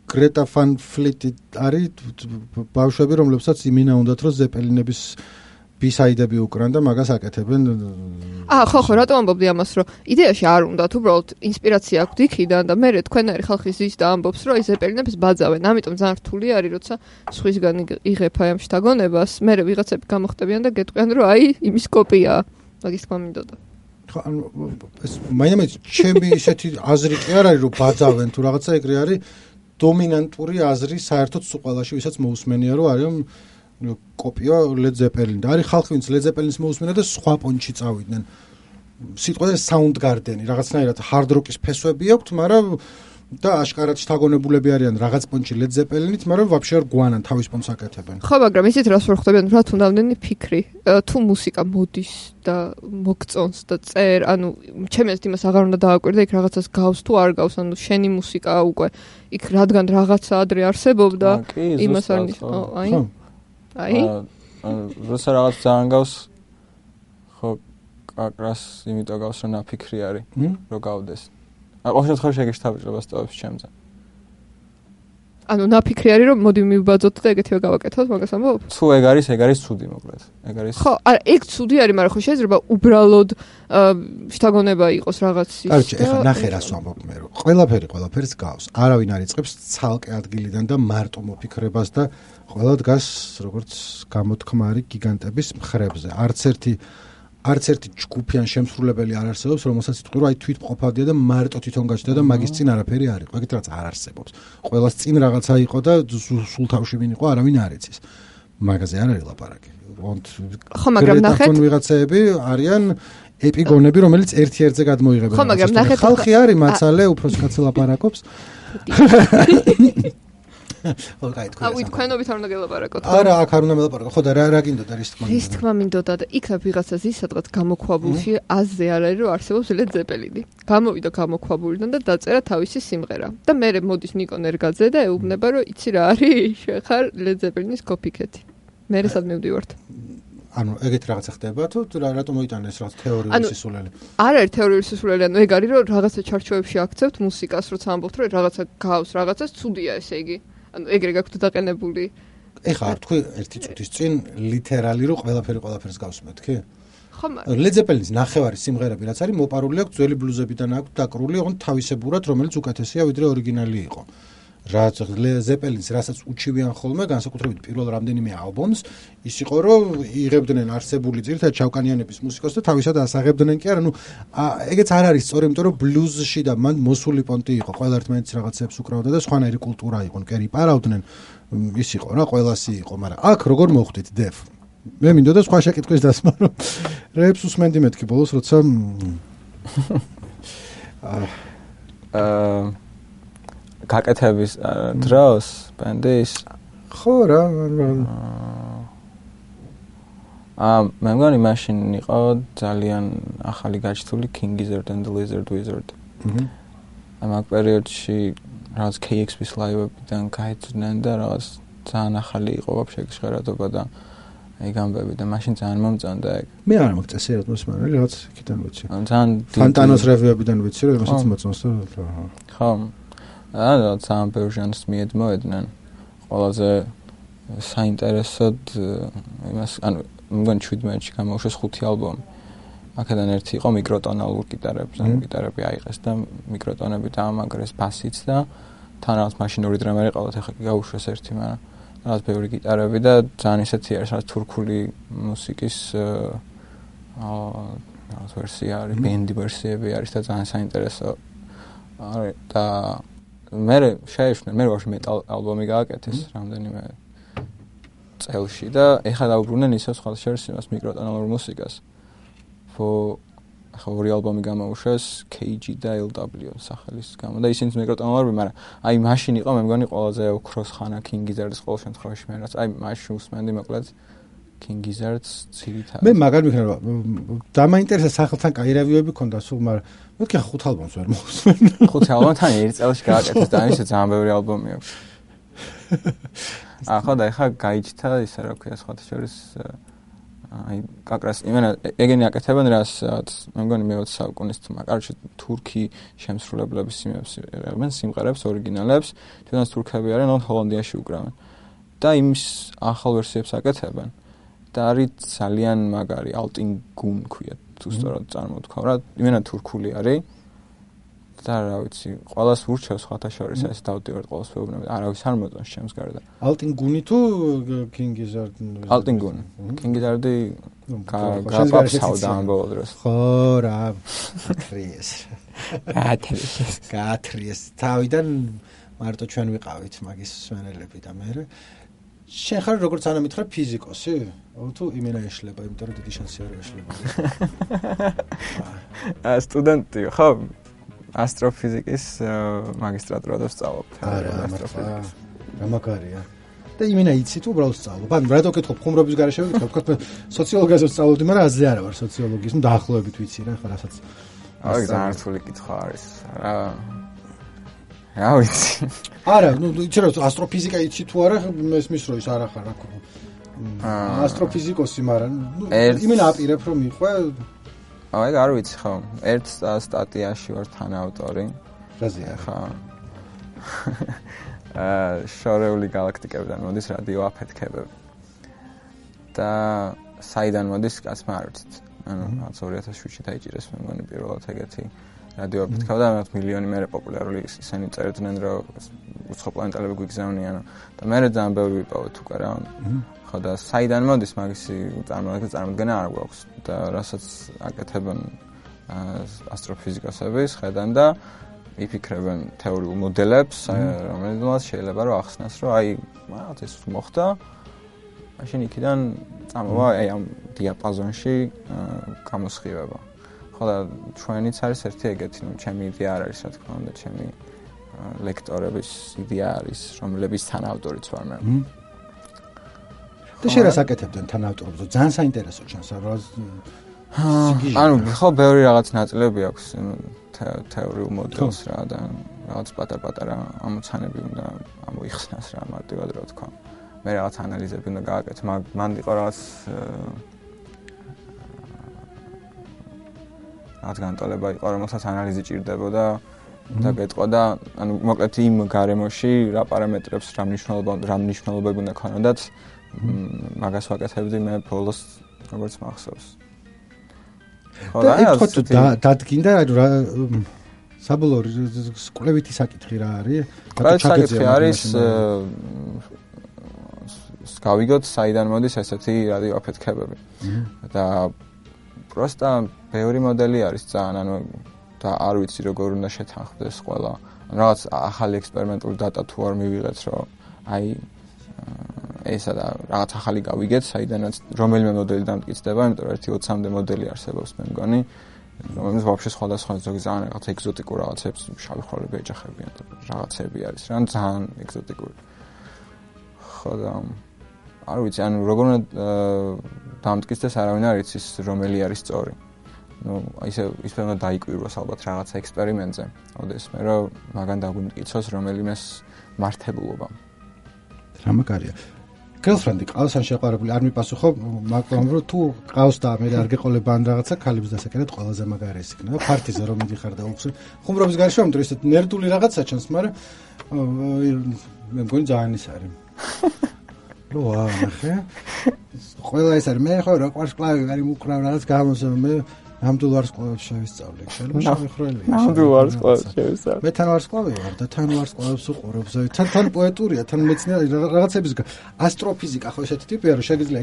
გრეტა ვან ფლიტი არის ბავშვები რომლებსაც იმინა უნდათ რომ ზეპელინების ბისაიდები უკრან და მაგას აკეთებენ აა ხო ხო რატომ ამბობდი ამას რომ იდეაში არ უნდათ უბრალოდ ინსპირაცია აქვს იქიდან და მე თქვენარი ხალხი ზის და ამბობს რომ აი ზეპელინებს ბაძავენ ამიტომ ძალიან რთული არის როცა სხვისგან იღებ აი ამ შთაგონებას მე ვიღაცები გამოხტებიან და გეტყვიან რომ აი იმის კოპიაა მაგის თქმა მინდოდა ხო ანუ ეს მაინც ჩემი ისეთი აზრი კი არ არის რომ ბაძავენ თუ რაღაცა ეგრე არის დომინანტური აზრი საერთოდ სულ ყველაში ვისაც მოусმენია რომ არის კოპია ლედ ზეპელინ და არის ხალხი ვინც ლედ ზეპელინის მოусმენა და სხვა პონჩი წავიდნენ სიტყვაზე საუნდგარდენი რაღაცნაირად ჰარდ როკის ფესვები აქვთ მაგრამ და აშკარად შთაგონებულები არიან რაღაც პონჩი ლედ ზეპელინით მაგრამ ვაფშე არ გვანან თავის პონს აკეთებენ ხო მაგრამ ისეთ რას ვერ ხვდებიან რა თუნდა ამდენი ფიქრი თუ მუსიკა მოდის და მოგწონს და წერ ანუ ჩემს იმას აღარ უნდა დააკვირდე იქ რაღაცას გავს თუ არ გავს ანუ შენი მუსიკაა უკვე იქ რადგან რაღაცა ადრე არსებობდა იმას არ ნიშნავს აი აი როცა რაღაც ძალიან გავს ხო კაკრას იმიტომ გავს რომ ნაფიქრი არის რომ გავდეს აი ყოველ შემთხვევაში ეგ შეთაბეჭდება სტავებს ჩემზე ანუ ნაფიქრი არის რომ მოდი მივბაძოთ და ეგეთივე გავაკეთოთ მაგას ამბობ თუ ეგ არის ეგ არის ცუდი მოკლედ ეგ არის ხო არა ეგ ცუდი არის მაგრამ ხო შეიძლება უბრალოდ შთაგონება იყოს რაღაც ის კარგი ეხლა ნახე რას ვამბობ მე რომ ყველაფერი ყველაფერს გავს არავინ არ იწყებს ცალკე ადგილიდან და მარტო მოფიქრებას და ყველა დგას როგორც გამოთქმარი გიგანტების მხრებზე არც ერთი არც ერთი ჯგუფიან შემსრულებელი არ არსებობს რომელსაც იტყვი რომ აი თვით მყოფავდია და მარტო თვითონ გაჩნდა და მაგის წინ არაფერი არ იყო ეგეთ რაღაც არ არსებობს ყველას წინ რაღაცა იყო და სულ თავში ვინ იყო არავინ არ იცის მაგაზე არ არის ლაპარაკი ხო მაგრამ ნახეთ ვიღაცეები არიან ეპიგონები რომელიც ერთ-ერთზე გადმოიღებენ ხო მაგრამ ნახეთ ხალხი არის მაცალე უფროს კაცი ლაპარაკობს ხო კაი თქვენ აუ თქვენობით არ უნდა გელაპარაკოთ არა აქ არ უნდა მელაპარაკო ხო და რა რა გინდოდა რის თქმა რის თქმა მინდოდა და იქნებ ვიღაცას ის სადღაც გამოქვაბულში აზზე არ არის რომ არსებობს ლედ ზეპელინი გამოვიდა გამოქვაბულიდან და დაწერა თავისი სიმღერა და მე მოდის ნიკო ნერგაძე და ეუბნება რომ იცი რა არის შეხარ ლედ ზეპელინის კოპიკეთი მე რასად მივდივართ ანუ ეგეთ რაღაცა ხდება თუ რატომ მოიტანეს რაღაც თეორიული სისულელი არ არის თეორიული სისულელი ანუ ეგ არის რომ რაღაცა ჩარჩოებში აქცევთ მუსიკას როცა ამბობთ რომ რაღაცა გავს რაღაცას ცუდია ესე იგი ანუ ეგრე გაქვთ დაყენებული. ეხლა არ თქვი ერთი წუთის წინ ლიტერალი რომ ყველაფერი ყველაფერს გავს მეთქი? ხო მაგრამ ლედ ზეპელინის ნახევარი სიმღერები რაც არის მოპარული აქვს ძველი ბლუზებიდან აქვს დაკრული ოღონდ თავისებურად რომელიც უკეთესია ვიდრე ორიგინალი იყო. რაც ლედ ზეპელინის რასაც უჩივიან ხოლმე განსაკუთრებით პირველ რამდენიმე ალბომს ის იყო რომ იღებდნენ არსებული ძირითადად ჩავკანიანების მუსიკას და თავისად ასაღებდნენ კი არა ნუ ეგეც არ არის სწორი იმიტომ რომ ბლუზში და მან მოსული პონტი იყო ყველა ერთმანეთის რაღაცებს უკრავდა და სხვანაირი კულტურა იყო კერი პარავდნენ ის იყო რა ყველასი იყო მაგრამ აქ როგორ მოხვდით დეფ მე მინდოდა სხვა შეკითხვის დასმა რომ რეპს უსმენდი მეთქი ბოლოს როცა აა გაკეთების დროს ბენდის ხო რა აა მე მგონი მაშინ იყო ძალიან ახალი გაჩთული King Gizzard and the Lizard Wizard აჰა ამ პერიოდში რაღაც K X P-ის ლაივებიდან გაიძნენ და რაღაც ძალიან ახალი იყო ვაფშე ჟღერადობა და აი გამბები და მაშინ ძალიან მომწონდა ეგ მე არ მოგწესერად მოსმენელი რაღაც იქიდან ვიცი ძალიან ფანტანოს რევიუებიდან ვიცი რომ იმასაც მოწონს და ხო აა ძალიან ვერსიონს მიედმოედნენ ყველაზე საინტერესოდ იმას ანუ მგონი შვიდმეტში გამოუშვეს ხუთი ალბომი აქედან ერთი იყო მიკროტონალურ გიტარებზე ანუ გიტარები აიღეს და მიკროტონები დაამაგრეს ბასიც და თან რაღაც მაშინური დრამერი ყავთ ახლა გაუშვეს ერთი მაგრამ რაღაც ბევრი გიტარები და ძალიან ისეთი არის რაღაც თურქული მუსიკის აა რაღაც ვერსია არის ბენდი ვერსიები არის და ძალიან საინტერესო არის და მე შეეშვნე მე ვაფშე მეტალ ალბომი გააკეთეს რამდენიმე წელში და ეხლა დაუბრუნდნენ ისევ სხვა შორის იმას მიკროტონალურ მუსიკას. ხო ახლა ორი ალბომი გამოუშვეს K G და L W სახელის გამო და ისინიც მიკროტონალურები, მაგრამ აი მაშინ იყო მე მგონი ყველაზე ოქროს ხანა King Gizzard-ის ყოველ შემთხვევაში მე რაც აი მაშინ უსმენდი მოკლედ King Gizzard-ს ცირითად. მე მაგარ მიხნევა დამაინტერესა სახელთან კაი რევიუები ქონდა სულ, მაგრამ მეთქი ხუთ ალბომს ვერ მოусმენ. ხუთი ალბომთან ერთ წელში გააკეთეს და ისე ძალიან ბევრი ალბომი აქვს. ახლა და ახლა გაიჩნდა ისე რა ქვია სხვათა შორის აი კაკრას იმენა ეგენი აკეთებენ რასაც მე მგონი მეოცე საუკუნის თმა კარჩე თურქი შემსრულებლების სიმებს იღებენ სიმღერებს ორიგინალებს თუნდაც თურქები არიან ან ჰოლანდიაში უკრავენ და იმის ახალ ვერსიებს აკეთებენ და არის ძალიან მაგარი ალტინგუნ ქვია თუ სწორად წარმოთქვა რა იმენა თურქული არის და რა ვიცი ყველას ურჩევს სხვათა შორის ეს დავდივართ ყველას ვეუბნები არავის არ მოწონს ჩემს გარდა ალტინგუნი თუ King Gizzard ალტინგუნი King Gizzard-ი გაპაფსავდა ამ ბოლო დროს ხო რა გათრიეს გათრიეს გათრიეს თავიდან მარტო ჩვენ ვიყავით მაგის სვენელები და მე შენ ხარ როგორც ანა მითხრა ფიზიკოსი თუ იმენა ეშლება იმიტომ რომ დიდი შანსი არ ეშლება ა სტუდენტი ხო ასტროფიზიკის მაგისტრატურა და ვსწავლობ ასტროფიზიკას. რა მაგარია. და იმენა იცი თუ უბრალოდ ვსწავლობ. ანუ რატო ვკითხო ხუმრობის გარეშე ვკითხო, თქვა სოციოლოგიას ვსწავლობდი, მაგრამ აზე არა ვარ სოციოლოგიის, ნუ დაახლოებით ვიცი რა, ხო რასაც. აი ძალიან რთული კითხვა არის. რა რა ვიცი. არა, ნუ იცი რა ასტროფიზიკა იცი თუ არა, მესმის რო ის არა ხარ რა ხო. ასტროფიზიკოსი, მაგრამ ნუ იმენა აპირებ რომ მიყვე აი არ ვიცი ხო ერთ სტატიაში ვარ თანაავტორი რაზეა ხო აა შორეული galaktikებიდან მოდის რადიოაფეთქებები და საიდან მოდის კაცმა არ ვიცით ანუ რაც ორი ათას შვიდში დაიჭირეს მე მგონი პირველად ეგეთი რადიოაფეთქება და მათ მილიონი მერე პოპულარული ისინი წერდნენ რომ უცხო პლანეტელები გვიგზავნიან და მე ძალიან ბევრი ვიპოვეთ უკვე რა ხო და საიდან მოდის მაგისი წარმოადგენა წარმოადგენა არ გვაქვს და რასაც აკეთებენ ასტროფიზიკოსები ხედან და იფიქრებენ თეორიულ მოდელებს რომელსაც შეიძლება რომ ახსნას რომ აი რაღაც ეს მოხდა მაშინ იქიდან წამოვა აი ამ დიაპაზონში გამოსხივება ხო და ჩვენიც არის ერთი ეგეთი ნუ ჩემი იდეა არ არის რა თქმა უნდა ჩემი ლექტორების იდეა არის რომლების თანაავტორიც ვარ მე და შენ რას აკეთებდნენ თანაავტორებს? ძალიან საინტერესო ჩანს რა. ანუ ხო ბევრი რაღაც ნაწილები აქვს თეორიულ მოდელს რა და რაღაც პატარ-პატარა ამოცანები უნდა ამოიხსნას რა მარტივად რა თქვა. მე რაღაც ანალიზები უნდა გააკეთო, მან იყო რაღაც რაღაც განტოლება იყო, რომელსაც ანალიზი ჭირდებოდა და გეტყოდა, ანუ მოკლედ იმ გარემოში რა პარამეტრებს, რა მნიშვნელობა, რა მნიშვნელობები უნდა ქონოდათ მაგას ვაკეთებდი მე ბოლოს როგორც მახსოვს. და ეთქოთ დადგინდა რა საბოლოო კვლევითი საკითხი რა არის? კვლევითი საკითხი არის გავიგოთ საიდან მოდის ესეთი რადიოაფეთქებები. და პროსტა ბევრი მოდელი არის ძალიან ანუ და არ ვიცი როგორ უნდა შეთანხმდეს ყველა. რაღაც ახალი ექსპერიმენტული დატა თუ არ მივიღეთ რომ აი ესა და რაღაც ახალი გავიგეთ, საიდანაც რომელიმე მოდელი დამტკიცდება, იმიტომ რომ ერთი ოცამდე მოდელი არსებობს მე მგონი, რომელიც ვაფშე სხვადასხვა ზოგი ძალიან რაღაც ეგზოტიკურ რაღაცებს შავი ხვრელები ეჯახებიან და რაღაცები არის, რა ძალიან ეგზოტიკური. ხო და არ ვიცი, ანუ როგორ უნდა დამტკიცდეს არავინ არ იცის, რომელი არის სწორი. ну, ისე ისე უნდა დაიკვირვოს ალბათ რაღაცა ექსპერიმენტზე. ოდესმე რომ მაგან დაგვიმტკიცოს რომელიმეს მართებულობა. რა მაგარია. girlfriend-ი ყავს ან შეყვარებული არ მიპასუხო, მაგრამ რომ თუ ყავს და მე არ გეყოლება ან რაღაცა ქალებს დასაკერად ყველაზე მაგარი ეს იქნება. ფარტიზე რომ მიდიხარ და უხსენ. ხუმრობის გარშემო ამიტომ ესეთ ნერდული რაღაცა ჩანს, მაგრამ მე მგონი ძალიან ის არის. რო ახე. ყველა ეს არის მე ხო რა ყვარს კლავი ვარი მუკრავ რაღაც გამოსო მე ნამდვილ ვარსკვლავებს შევისწავლე. შეიძლება შევიხრელია. ნამდვილ ვარსკვლავებს შევისწავლე. მე თან ვარსკვლავი ვარ და თან ვარსკვლავებს უყურებ. თან თან პოეტურია, თან მეცნიერება რაღაცების ასტროფიზიკა ხო ესეთი ტიპია რომ შეგიძლია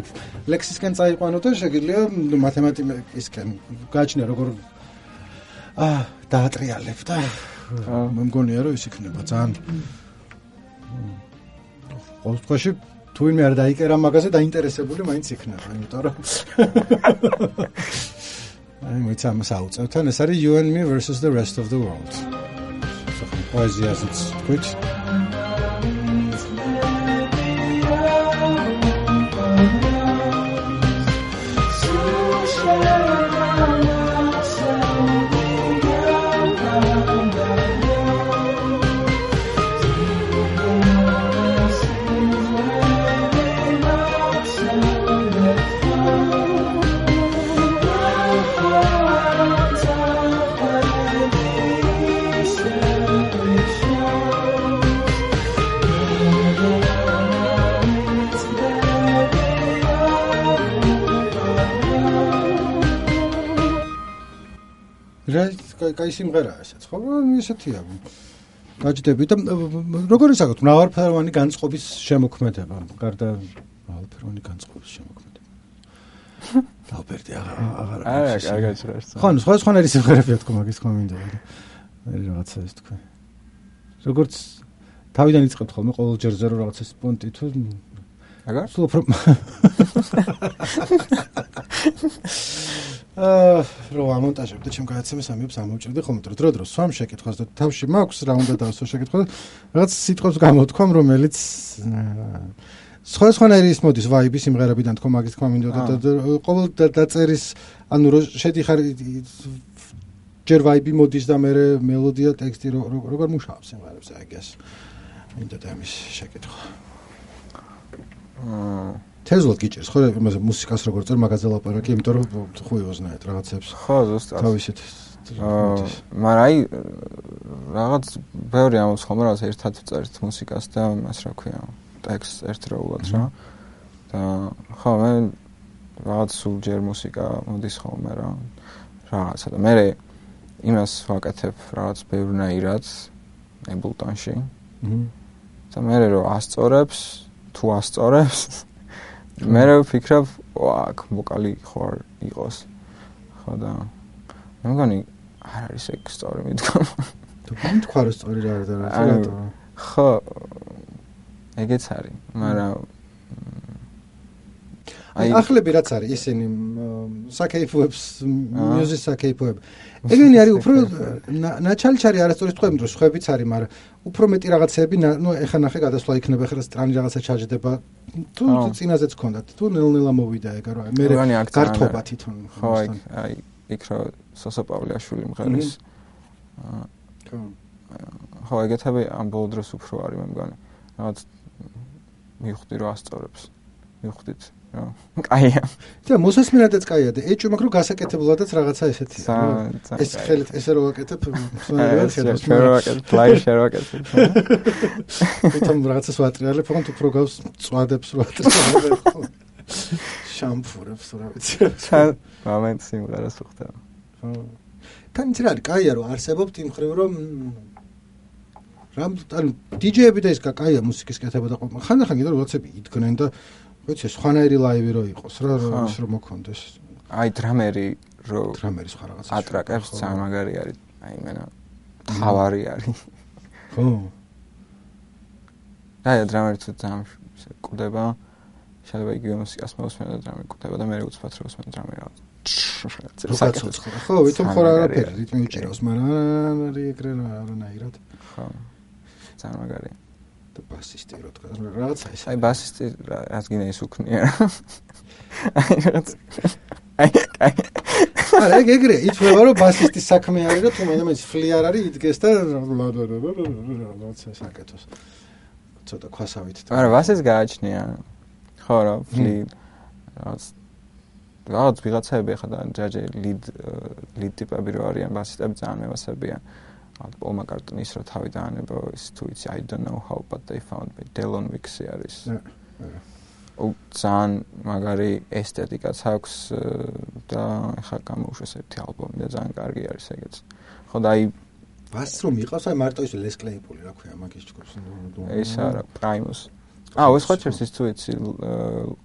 ლექსისკენ წაიყვანო და შეგიძლია მათემატიკისკენ გააჩნია როგორ აა დაატრიალებ და მე მგონია რომ ის იქნება ძალიან ყოველ შემთხვევაში თუ ვინმე არ დაიკერა მაგაზე დაინტერესებული მაინც იქნება, იმიტომ რომ აი მეც ამას აუწევთ ან ეს არის You and Me versus the rest of the world. პოეზიაზეც თქვით. კაი სიმღერაა ესეც, ხო? ესეთია. გაჯდები და როგორ ისაკოთ მრავალფეროვანი განწყობის შემოქმედება, გარდა მრავალფეროვანი განწყობის შემოქმედება. დავბერდი აღარ არა, კარგად ჟღერს. ხო, სხვა სხვანაირი სიმღერებია თქო, მაგის თქმა მინდა. მე რაღაცა ის თქვა. როგორც თავიდან იწყებთ ხოლმე ყოველ ჯერზე რომ რაღაცა სპონტი თუ აგარ? სულ უფრო აა რო ამონტაჟებდი ჩემ გადაცემის ამებს ამოვჭრდი ხოლმე დრო დრო დრო სვამ შეკითხვას და თავში მაქვს რა უნდა დავსო შეკითხვა რაღაც სიტყვებს გამოთქვამ რომელიც სხვა სხვანაირი ის მოდის ვაიბი სიმღერებიდან თქო მაგის თქმა მინდოდა და ყოველ დაწერის ანუ რო შედიხარ ჯერ ვაიბი მოდის და მე მელოდია ტექსტი როგორ მუშაობს სიმღერებს აი გას მინდა და ამის შეკითხვა აა თეზლად გიჭირს ხო იმაზე მუსიკას როგორ წერ მაგაზე ლაპარაკი იმიტომ რომ ხუიოზნაეთ რაღაცებს ხო ზუსტად თავისით აა მაგრამ აი რაღაც ბევრი ამბობს ხოლმე რაღაც ერთად წერთ მუსიკას და მას რა ქვია ტექსტს ერთდროულად რა და ხო მე რაღაც სულ ჯერ მუსიკა მოდის ხოლმე რა რაღაცა და მე იმას ვაკეთებ რაღაც ბევრნაირად აბლტონში და მე რომ ასწორებს თუ ასწორებს მე ვფიქრობ, ვაკ, ვოკალი ხარ იყოს. ხო და მე მგონი არ არის ეგ სწორი მითქვა. თუ მითქვა რომ სწორი რა არის და რა. ხო ეგეც არის, მაგრამ აი ახლები რაც არის ისინი საკეიფოებს მუსიკის საკეიფოებ. ეგენი არის უფრო ნაჩალჩარი არასწორი თქვენ დროს ხვებიც არის, მაგრამ უფრო მეტი რაღაცები, ნუ ეხა ნახე გადასვლა იქნება, ხერა სტრანი რაღაცა ჩაჯდება. თუ წინაზეც გქონდათ, თუ ნელ-ნელა მოვიდა ეგ რა. მე გართობა თვითონ. ხო, აი იქ რა სოსო პავლეაშვილი მღერის. ხო. ხო, ეგეთები ამ ბოლო დროს უფრო არის მე მგონი. რაღაც მივხვდი რომ ასწორებს. მივხვდით. კაია. და მოსასმინადაც კაია და ეჭვ მაგრამ გასაკეთებლადაც რაღაცა ესეთია. ეს ხელით ესე რო ვაკეთებ, სულ შევაკეთებ, ლაივ შევაკეთებ. თვითონ რაღაცას ვატრიალებ, მაგრამ უფრო გავს წვადებს რო ვატრიალებ. შამპურებს რა ვიცი. მომენტ სიმღერას ვხდება. ხო. თან ის რა არის, კაია რომ არსებობთ იმ ხრივ რომ რამ ანუ დიჯეები და ის კაია მუსიკის კეთება და ხანდახან კიდე რაღაცები იდგნენ და ვიცი სხვანაირი ლაივი რო იყოს რა ის რომ მოქონდეს აი დრამერი რო დრამერი სხვა რაღაცა ატრაკებს ძალიან მაგარი არის აი მენა თავარი არის ხო აი დრამერი თუ ძალიან კვდება შეიძლება იგივე მუსიკას მოსმენ და დრამერი კვდება და მე უცბად რო მოსმენ დრამერი რაღაც ხო ვითომ ხო არაფერი რიტმი უჭირავს მაგრამ არის ეგრე არანაირად ხო ძალიან მაგარია და ბასისტი რო თქვა რაღაცა ის აი ბასისტი რაც გინდა ის უქნია აი რაღაც აი აი არა ეგრე ითვლება რომ ბასისტის საქმე არის რომ თუ მე ფლი არ არის იდგეს და რაღაცა საკეთოს ცოტა ქვასავით არა ბასისტს გააჩნია ხო რა ფლი რაღაც რაღაც ვიღაცები ხა და ჯაჯე ლიდ ლიდ ტიპები რო არიან ბასისტები ძალიან მევასებიან Paul McCartney-ის რო თავი დაანება ის თუ იცი I don't know how but they found me Delon Wicks-ი არის. ო ძალიან მაგარი ესთეტიკაც აქვს და ხა გამოუშვეს ერთი ალბომი და ძალიან კარგი არის ეგეც. ხო და აი ბასს რომ იყავს აი მარტო ის Les Claypool რა ქვია მაგის ჯგუფს. ეს არა Primus. აა ეს ხო ჩერს ის თუ იცი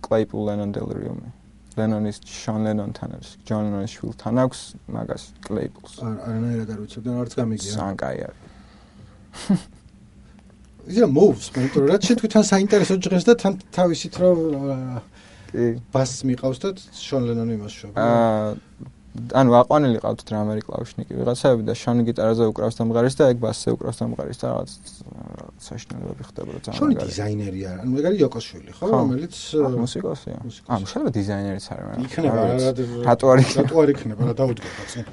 Claypool Lennon Delirium-ი. Lennon-ის Sean Lennon-თან არის, John Lennon-ის შვილთან აქვს მაგას Claypool-ს. არანაირად არ ვიცი და არც გამიგია. ძალიან კაი არის. ისა moves, მეტყვი რა შენ თქვენ საინტერესო ჟღერს და თან თავისით რომ კი ბასს მიყავს და Sean Lennon-ი იმას შვება. აა ანუ აყვანილი ყავთ დრამერი კლავიშნიკი ვიღაცები და შონი გიტარაზე უკრავს დამღარის და ეგ ბასზე უკრავს დამღარის და რაღაც საშინელებები ხდება რა ძალიან. შონი დიზაინერი არა, ანუ ეგ არის იოკოსშვილი, ხო, რომელიც მუსიკოსია. ანუ შეიძლება დიზაინერიც არის, მაგრამ იქნება რა რატო არ იქნება? რატო არ იქნება რა დაუდგება წინ.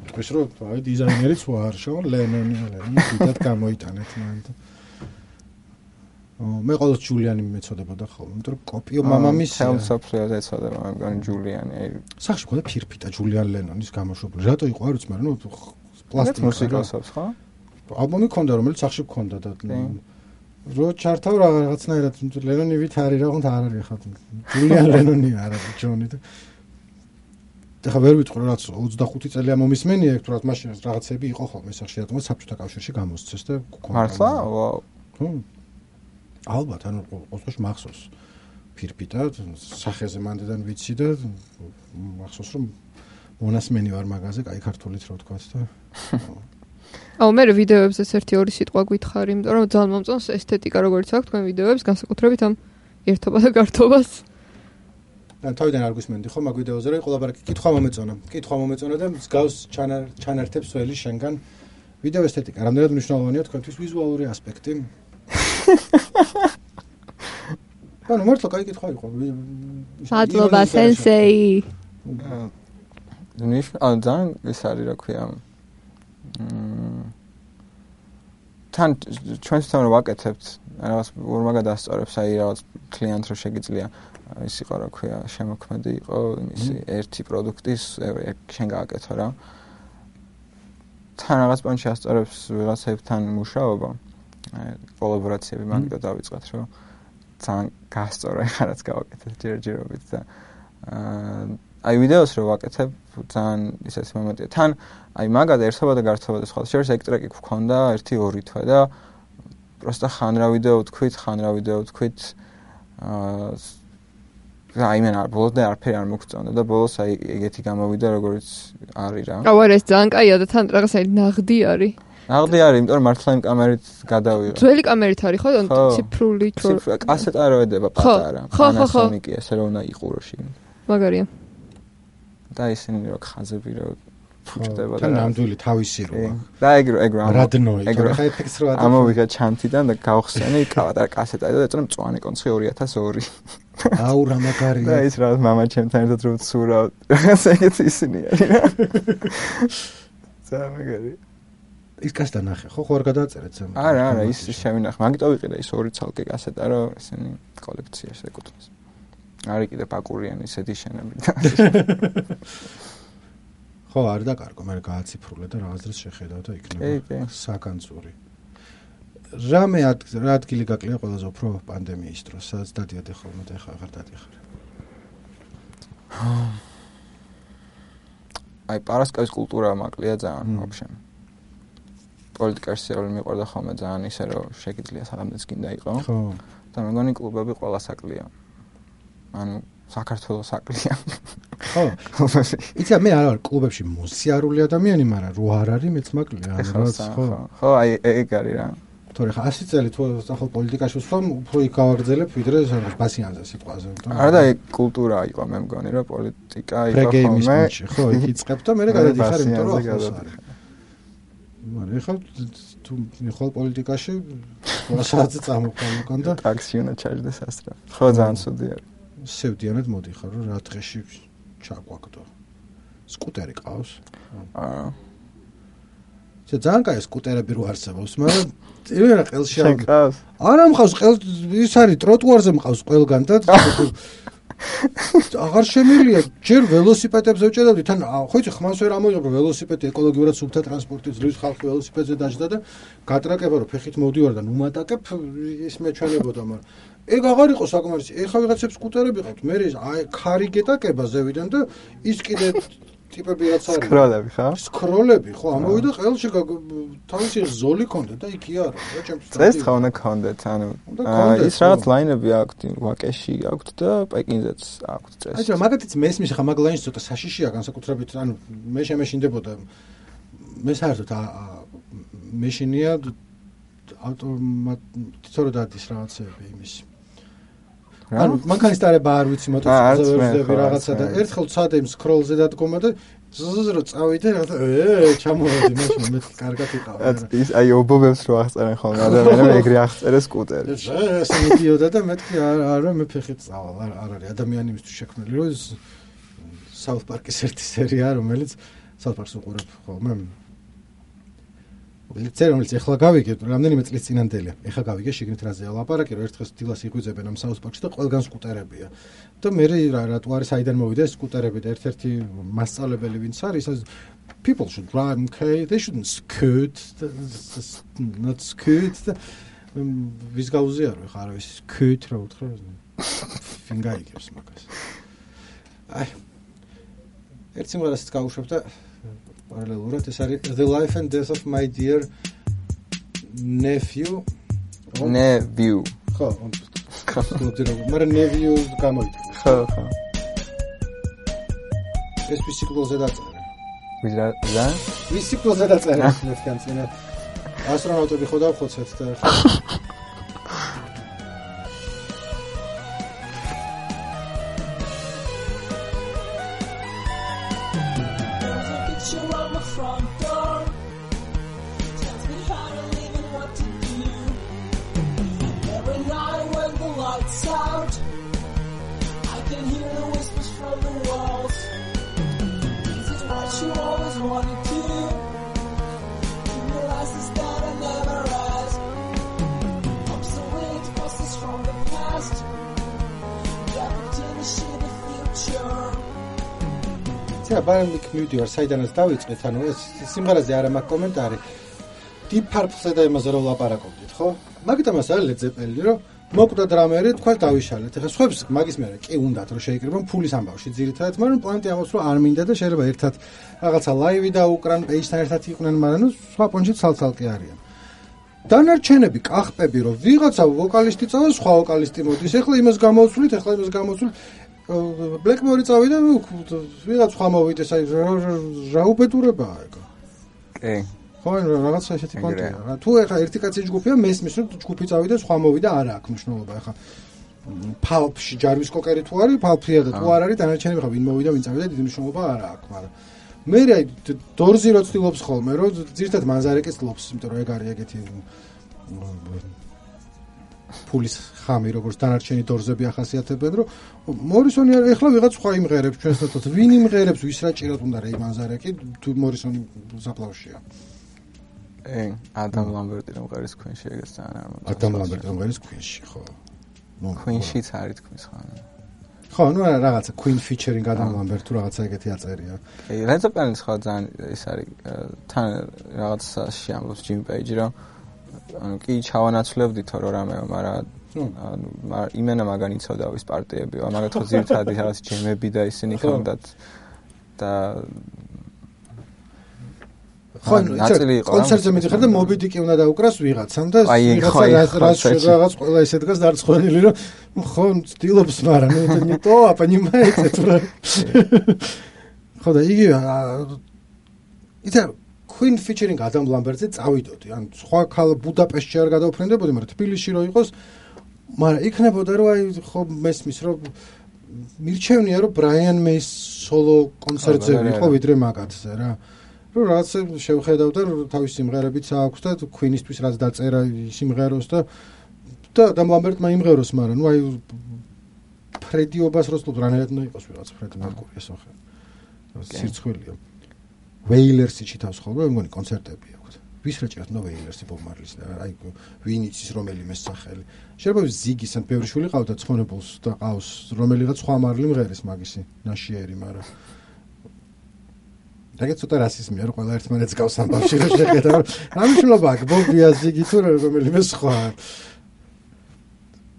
თქვის რომ აი დიზაინერიც ვარ, შონ ლენონი ლენონი დიდად გამოიტანეთ მან და მე ყოველთვის ჯულიანი მეწოდებოდა ხოლმე, იმიტომ რომ კოპიო მამამისი თელსოფლიოს ეწოდება, მე მგონი ჯულიანი. სახში მქონდა ფირფიტა ჯულიან ლენონის გამოშვებული. რატო იყო არ ვიცი, მაგრამ ნუ პლასტიკი მუსიკოსობს, ხო? ალბომი მქონდა, რომელიც სახში მქონდა და რო ჩართავ რაღაცნაირად ლენონი ვით არის რა, თუნდაც არ არის ხა. ჯულიან ლენონი არა ჯონი და ეხლა ვერ ვიტყვი რაც ოცდახუთი წელია მომისმენია, ეგ თუ რა მაშინ რაღაცები იყო ხოლმე სახში, რატომ საბჭოთა კავშირში გამოსცეს და მართლა? ვაუ. ხო. ალბათ, ანუ ყოველთვის მახსოვს ფირფიტა, სახეზე მანდიდან ვიცი და მახსოვს რომ მონასმენი ვარ მაგაზე, კაი ქართულით რა ვთქვათ და აუ მე ვიდეოებზეც ერთი ორი სიტყვა გითხარი, იმიტომ რომ ძალიან მომწონს ესთეტიკა როგორც აქვს თქვენ ვიდეოებს, განსაკუთრებით ამ ერთობა და გართობას. და თავიდან არ გვისმენდი ხო მაგ ვიდეოზე რომ ყველაფერი კითხვა მომეწონა. კითხვა მომეწონა და მსგავს ჩანართებს ველი შენგან ვიდეო ესთეტიკა. რამდენად მნიშვნელოვანია თქვენთვის ვიზუალური ასპექტი? ანუ მართლა კაი კითხვა იყო. მადლობა სენსეი. ნიშნ ან ძალიან ეს არის რა ქვია. თან ჩვენს თან ვაკეთებთ რაღაც ორმა გადასწორებს აი რაღაც კლიენტ რო შეგიძლია ის იყო რა ქვია შემოქმედი იყო იმისი ერთი პროდუქტის შენ გააკეთო რა. თან რაღაც პონჩი ასწორებს ვიღაცებთან მუშაობა. კოლაბორაციები მაგიტო დავიწყეთ რომ ძალიან გასწორა ხა რაც გავაკეთეთ ჯერჯერობით და აი ვიდეოს რო ვაკეთებ ძალიან ისეთი მომენტია თან აი მაგად ერთობა და გართობა და სხვა შეიძლება ეგ ტრეკი გქონდა ერთი ორი თვე და პროსტა ხან რა ვიდეო ვთქვით ხან რა ვიდეო ვთქვით აა აი მე არ ბოლოს და არაფერი არ მოგწონდა და ბოლოს აი ეგეთი გამოვიდა როგორც არის რა აუ არა ეს ძალიან კაია და თან რაღაც აი ნაღდი არის ნაღდი არის, იმიტომ რომ მართლა იმ კამერით გადავიღე. ძველი კამერით არის ხო? ციფრული თორ. კასეტა რო ედება პატარა. პანასონიკი ესე რომ უნდა იყურო შიგნით. მაგარია. და ისინი რო ხაზები რო ფუჭდება და ნამდვილი თავისი როა. და ეგ ეგ რა. რადნოი. ხა ეფექტს რო ატა. ამოვიღე ჩანთიდან და გავხსენე პატარა კასეტა და ეწონა მწვანე კონცხი ორი ათას ორი. აუ რა მაგარია. და ის რა მამა ჩემთან ერთად რო ვცურავ. რაღაც ეგეთი ისინი არის რა. ზამეგარი. ის კასეტა ნახე, ხო, ხო არ გადააწერეთ ზემოთ. არა, არა, ის შევინახე. მაგიტო ვიყიდე ის ორი ცალკე კასეტა, რომ ესენი კოლექციაში ეკუთვნის. არის კიდე პაკურიანი ისეთი შენები. ხო, არ დაკარგო, მე გააციფრულე და რაღაც დროს შეხედავ და იქნება საკანწური. რამე რა ადგილი გაკლია ყველაზე უფრო პანდემიის დროს, სადაც დადიადე ხოლმე და ეხლა აღარ დადიხარ. აი, პარასკევის კულტურა მაკლია ძალიან, ვაფშე. პოლიტიკაში სიარული მიყვარდა ხოლმე ძალიან ისე რომ შეგიძლია საღამოც გინდა იყო. ხო. და მე მგონი კლუბები ყველა საკლია. ანუ საქართველოს საკლია. ხო. იცი მე არ ვარ კლუბებში მოსიარული ადამიანი, მაგრამ რო არ არის მეც მაკლია, რაღაც ხო. ხო, აი ეგ არის რა. თორე ხა ასი წელი თუ ახალ პოლიტიკაში ვსვამ, უფრო იქ გავაგრძელებ ვიდრე სადღაც ბასიანზე სიტყვაზე. არა და ეგ კულტურა იყო, მე მგონი რომ პოლიტიკა იყო ხოლმე. ხო, იქ იწყებ და მე გადადიხარ, იმიტომ რომ ახალს არის. მაგრამ ეხლა თუ მიხვალ პოლიტიკაში რასაც წამოყვან უკან და ტაქსი უნდა ჩაჯდეს ასრა. ხო ძალიან ცუდი არის. სევდიანად მოდიხარ რომ რა დღეში ჩაგვაგდო. სკუტერი ყავს? აა. ეს ძალიან კაი სკუტერები რო არსებობს, მაგრამ ირენა ყელში არ მყავს. არა მყავს, ყელ ის არის ტროტუარზე მყავს ყველგან და აღარ შემილია, ჯერ ველოსიპედებზე ვჭედავდი, თან ხო იცი ხმას ვერ ამოიღებ რომ ველოსიპედი ეკოლოგიურად სუფთა ტრანსპორტი ძლივს ხალხი ველოსიპედზე დაждდა და გატრაკება რომ ფეხით მოვდივარ და ნუმატაკებ ის მეჩვენებოდა, მაგრამ ეგ აღარ იყო საკმარისი. ეხა ვიღაცებს სკუტერები ყავთ, მე აი ქარი გეტაკება ზევიდან და ის კიდე ტიპები რაც არის. სკროლები ხა? სკროლები, ხო, ამოვიდა ყელში თავისი ზოლი ქონდა და იქ იარო, რა ჩემს. წეს ხა უნდა ქონდეთ, ანუ ის რაღაც ლაინები აქვს, ვაკეში აქვს და პეკინზეც აქვს წეს. აი, მაგათიც მესმის ხა მაგ ლაინს ცოტა საშიშია განსაკუთრებით, ანუ მე შემეშინდებოდა მე საერთოდ მეშინია ავტომატურად რო დადის რაღაცები იმის. ანუ მანქანის დარება არ ვიცი მოტოციკლზე ვერძდები რაღაცა და ერთხელ ცადე იმ სკროლზე დადგომა და ზუზუზ რო წავიდე რა ე ჩამოვედი მაშინ მე კარგად იყავ. ის აი ობობებს რო აღწერენ ხოლმე ადამიანები ეგრე აღწერეს სკუტერი. ეს მიდიოდა და მეთქი არა მე ფეხით წავალ არ არის ადამიანი იმისთვის შექმნილი რომ South Park-ის ერთი სერია რომელიც South Park-ს უყურებ ხოლმე. წერა რომელიც ეხლა გავიგე, რამდენიმე წლის წინანდელია. ეხლა გავიგე შიგნით რაზეა ლაპარაკი, რომ ერთხელ დილას იღვიძებენ ამ South Park-ში და ყველგან სკუტერებია. და მე რატო არის საიდან მოვიდა ეს სკუტერები და ერთ-ერთი მასწავლებელი ვინც არის, ის people should drive okay, they shouldn't scoot, not scoot. ვის გაუზიარო ხა არა ის scoot რა უთხრა. ვინ გაიგებს მაგას. აი ერთ სიმღერასაც გავუშვებ და parallelურად ეს არის The Life and Death of My Dear Nephew. Nephew. ხო, მაგრამ nephew გამოიწვია. ხო, ხო. ეს ვისიკლოზე დაწერა. ვიზა? ზა? ვისიკლოზე დაწერა მეთქან წინა. ასტრონავტები ხო დავხოცეთ და ცა ბარემიკ მივდივარ საიდანაც დავიწყეთ ანუ ეს სიმღერაზე არა მაქვს კომენტარი Deep Purple-ზე და იმაზე რომ ლაპარაკობდით ხო მაგიტომ ასე Led Zeppelin რომ მოკვდა დრამერი თქვა დავიშალეთ ეხლა სხვებს მაგის მერე კი უნდათ რომ შეიკრიბონ ფულის ამბავში ძირითადად მაგრამ პოინტი ამას რომ არ მინდა და შეიძლება ერთად რაღაცა ლაივი დაუკრან პეიჯთან ერთად იყვნენ მაგრამ ნუ სხვა პონჩი ცალ-ცალკე არიან დანარჩენები კახპები რომ ვიღაცა ვოკალისტი წავა სხვა ვოკალისტი მოდის ეხლა იმას გამოვცვლით ეხლა იმას გამოვცვლით Blackmore წავიდა ნუ ვიღაც სხვა მოვიდეს აი რა უბედურებაა ეგ კი ხო რაღაცა ესეთი კონტექსტია თუ ეხლა ერთი კაცი ჯგუფია მესმის რომ ჯგუფი წავიდა სხვა მოვიდა არა აქვს მნიშვნელობა ეხლა Pulp-ში ჯარვის კოკერი თუ არის Pulp-ია და თუ არ არის დანარჩენები ხა ვინ მოვიდა ვინ წავიდა დიდი მნიშვნელობა არა აქვს მაგრამ მე აი დორზი რო ცდილობს ხოლმე რომ ძირთად მანზარეკის ლობს იმიტომ რომ ეგ არის ეგეთი ფულის ხამი როგორც დანარჩენი დორზები ახასიათებენ რომ მორისონი ეხლა ვიღაც სხვა იმღერებს ჩვენს თოთოთ ვინ იმღერებს ვის რა ჭიროთ უნდა რეი მანზარეკი თუ მორისონი საფლავშია ე ადამ ლამბერტი რომ ღერის ქვენში ეგეც ძალიან არ მომწონს ადამ ლამბერტი რომ ღერის ქვენში ხო ნუ ქვენშიც არის თქვის ხან ხო ნუ რაღაცა Queen featuring ადამ ლამბერტ თუ რაღაცა ეგეთი აწერია ე Led Zeppelin-ის ხო ძალიან ის არის თან რაღაცა შეამბობს Jimmy Page რომ ანუ კი ჩავანაცვლებდითო რომ რამეო მაგრამ ანუ იმენა მაგან იცოდა ვის პარტიებია მაგათ ხო ძირთადი რაღაც ჯემები და ისინი ხონდათ და ხო კონცერტზე მიდიხარ და Moby Dick-ი უნდა დაუკრას ვიღაცამ და ვიღაცა რაც რაღაც ყველა ისე დგას დარწმუნებული რომ ხო ცდილობს მაგრამ ნუ ნიტო აპანიმაიце თუ რა ხო და იგი იცი Queen featuring Adam Lambert-ზე წავიდოდი. ან სხვა ქალ ბუდაპეშტში არ გადავფრენდებოდი, მაგრამ თბილისში რო იყოს, მაგრამ იქნებოდა რომ აი ხო მესმის რომ მირჩევნია რომ Brian May-ის სოლო კონცერტზე იყო ვიდრე მაგათზე რა. რომ რაღაც შევხედავ და თავის სიმღერებიც აქვს და Queen-ისთვის რაც დაწერა სიმღეროს და და Adam Lambert-მა იმღეროს, მაგრამ ნუ აი ფრედიობას როსლობ რანაირად უნდა იყოს ვიღაც ფრედი მერკური ეს ხო. სირცხვილია. Wailers-ი ჩითავს ხოლმე, მე მგონი კონცერტები აქვს. ვის რა ჭირავს ნო Wailers-ი Bob Marley-ს და აი ვინ იცის რომელიმე სახელი. შეიძლება ზიგის ან ბევრი შვილი ყავდა ცხონებულს და ყავს რომელიღაც სხვა მარლი მღერის მაგისი ნაშიერი, მაგრამ რაგაც ცოტა რასიზმია რომ ყველა ერთმანეთს გავს ამბავში რომ შეხედა რომ რა მნიშვნელობა აქვს Bob-ია ზიგი თუ რომელიმე სხვა.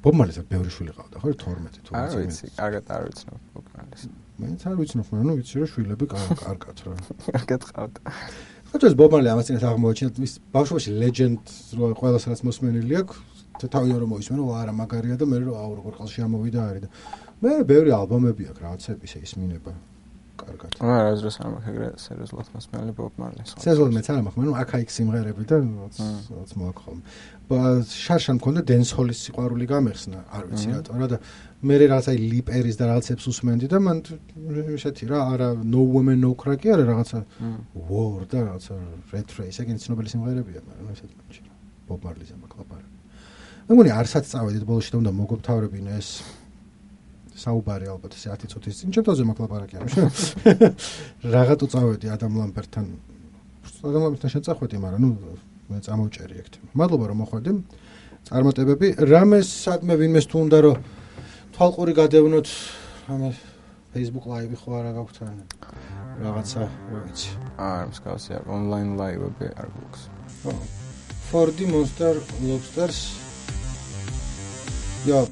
Bob Marley-ს ბევრი შვილი ყავდა ხო თორმეტი თუ არ ვიცი, კარგად არ ვიცნობ Bob Marley-ს. მეც არ ვიცნობ, მაგრამ ნუ ვიცი რომ შვილები კარგად რა. კარგად ყავდა. ხოჭოს Bob Marley ამას წინათ აღმოაჩინა ის ბავშვობაში legend რო ყველას რაც მოსმენილი აქვს, თავიდან რომ მოისმენო, არა მაგარია და მე რომ აუ როგორ ყალში ამოვიდა არის და მე ბევრი ალბომები აქვს რაღაცები ისე ისმინება. კარგად. არა, აზრს არ მაქვს ეგრე სერიოზულად მასმელი Bob Marley. სერიოზულად მეც არ მაქვს, მაგრამ აქა-იქ სიმღერები და რაც მოაქვს ხოლმე. შარშან მქონდა დენსჰოლის სიყვარული გამეხსნა, არ ვიცი რატო, რა და მე რაღაც აი ლიპერის და რაღაცებს უსმენდი და მან ესეთი რა, არა No Woman No Cry კი არა რაღაცა War და რაღაცა Red Race, ეგენი ცნობილი სიმღერებია, მაგრამ ესეთი მაჩი. Bob Marley-ზე მაკლაპარა. მე მგონი არსაც წავედით ბოლოში და უნდა მოგობთავრებინე ეს საუბარი ალბათ ესე ათი წუთის წინ ჩემთვაზე მაკლაპარაკი არის. რაღაც უწავედი ადამ ლამბერტთან. ადამ ლამბერტთან შეწახვედი, მაგრამ ნუ მე წამოვჭერი ეგ თემა. მადლობა რომ მოხვედი. წარმატებები. რამეს სადმე ვინმეს თუ უნდა რომ თვალყური გადევნოთ, რამე Facebook live ხო არა გაქვთ რაღაცა, რა ვიცი. აა, მსგავსი არ online live-ები არ გვაქვს. ხო. four D Monster Lobsters. Ja,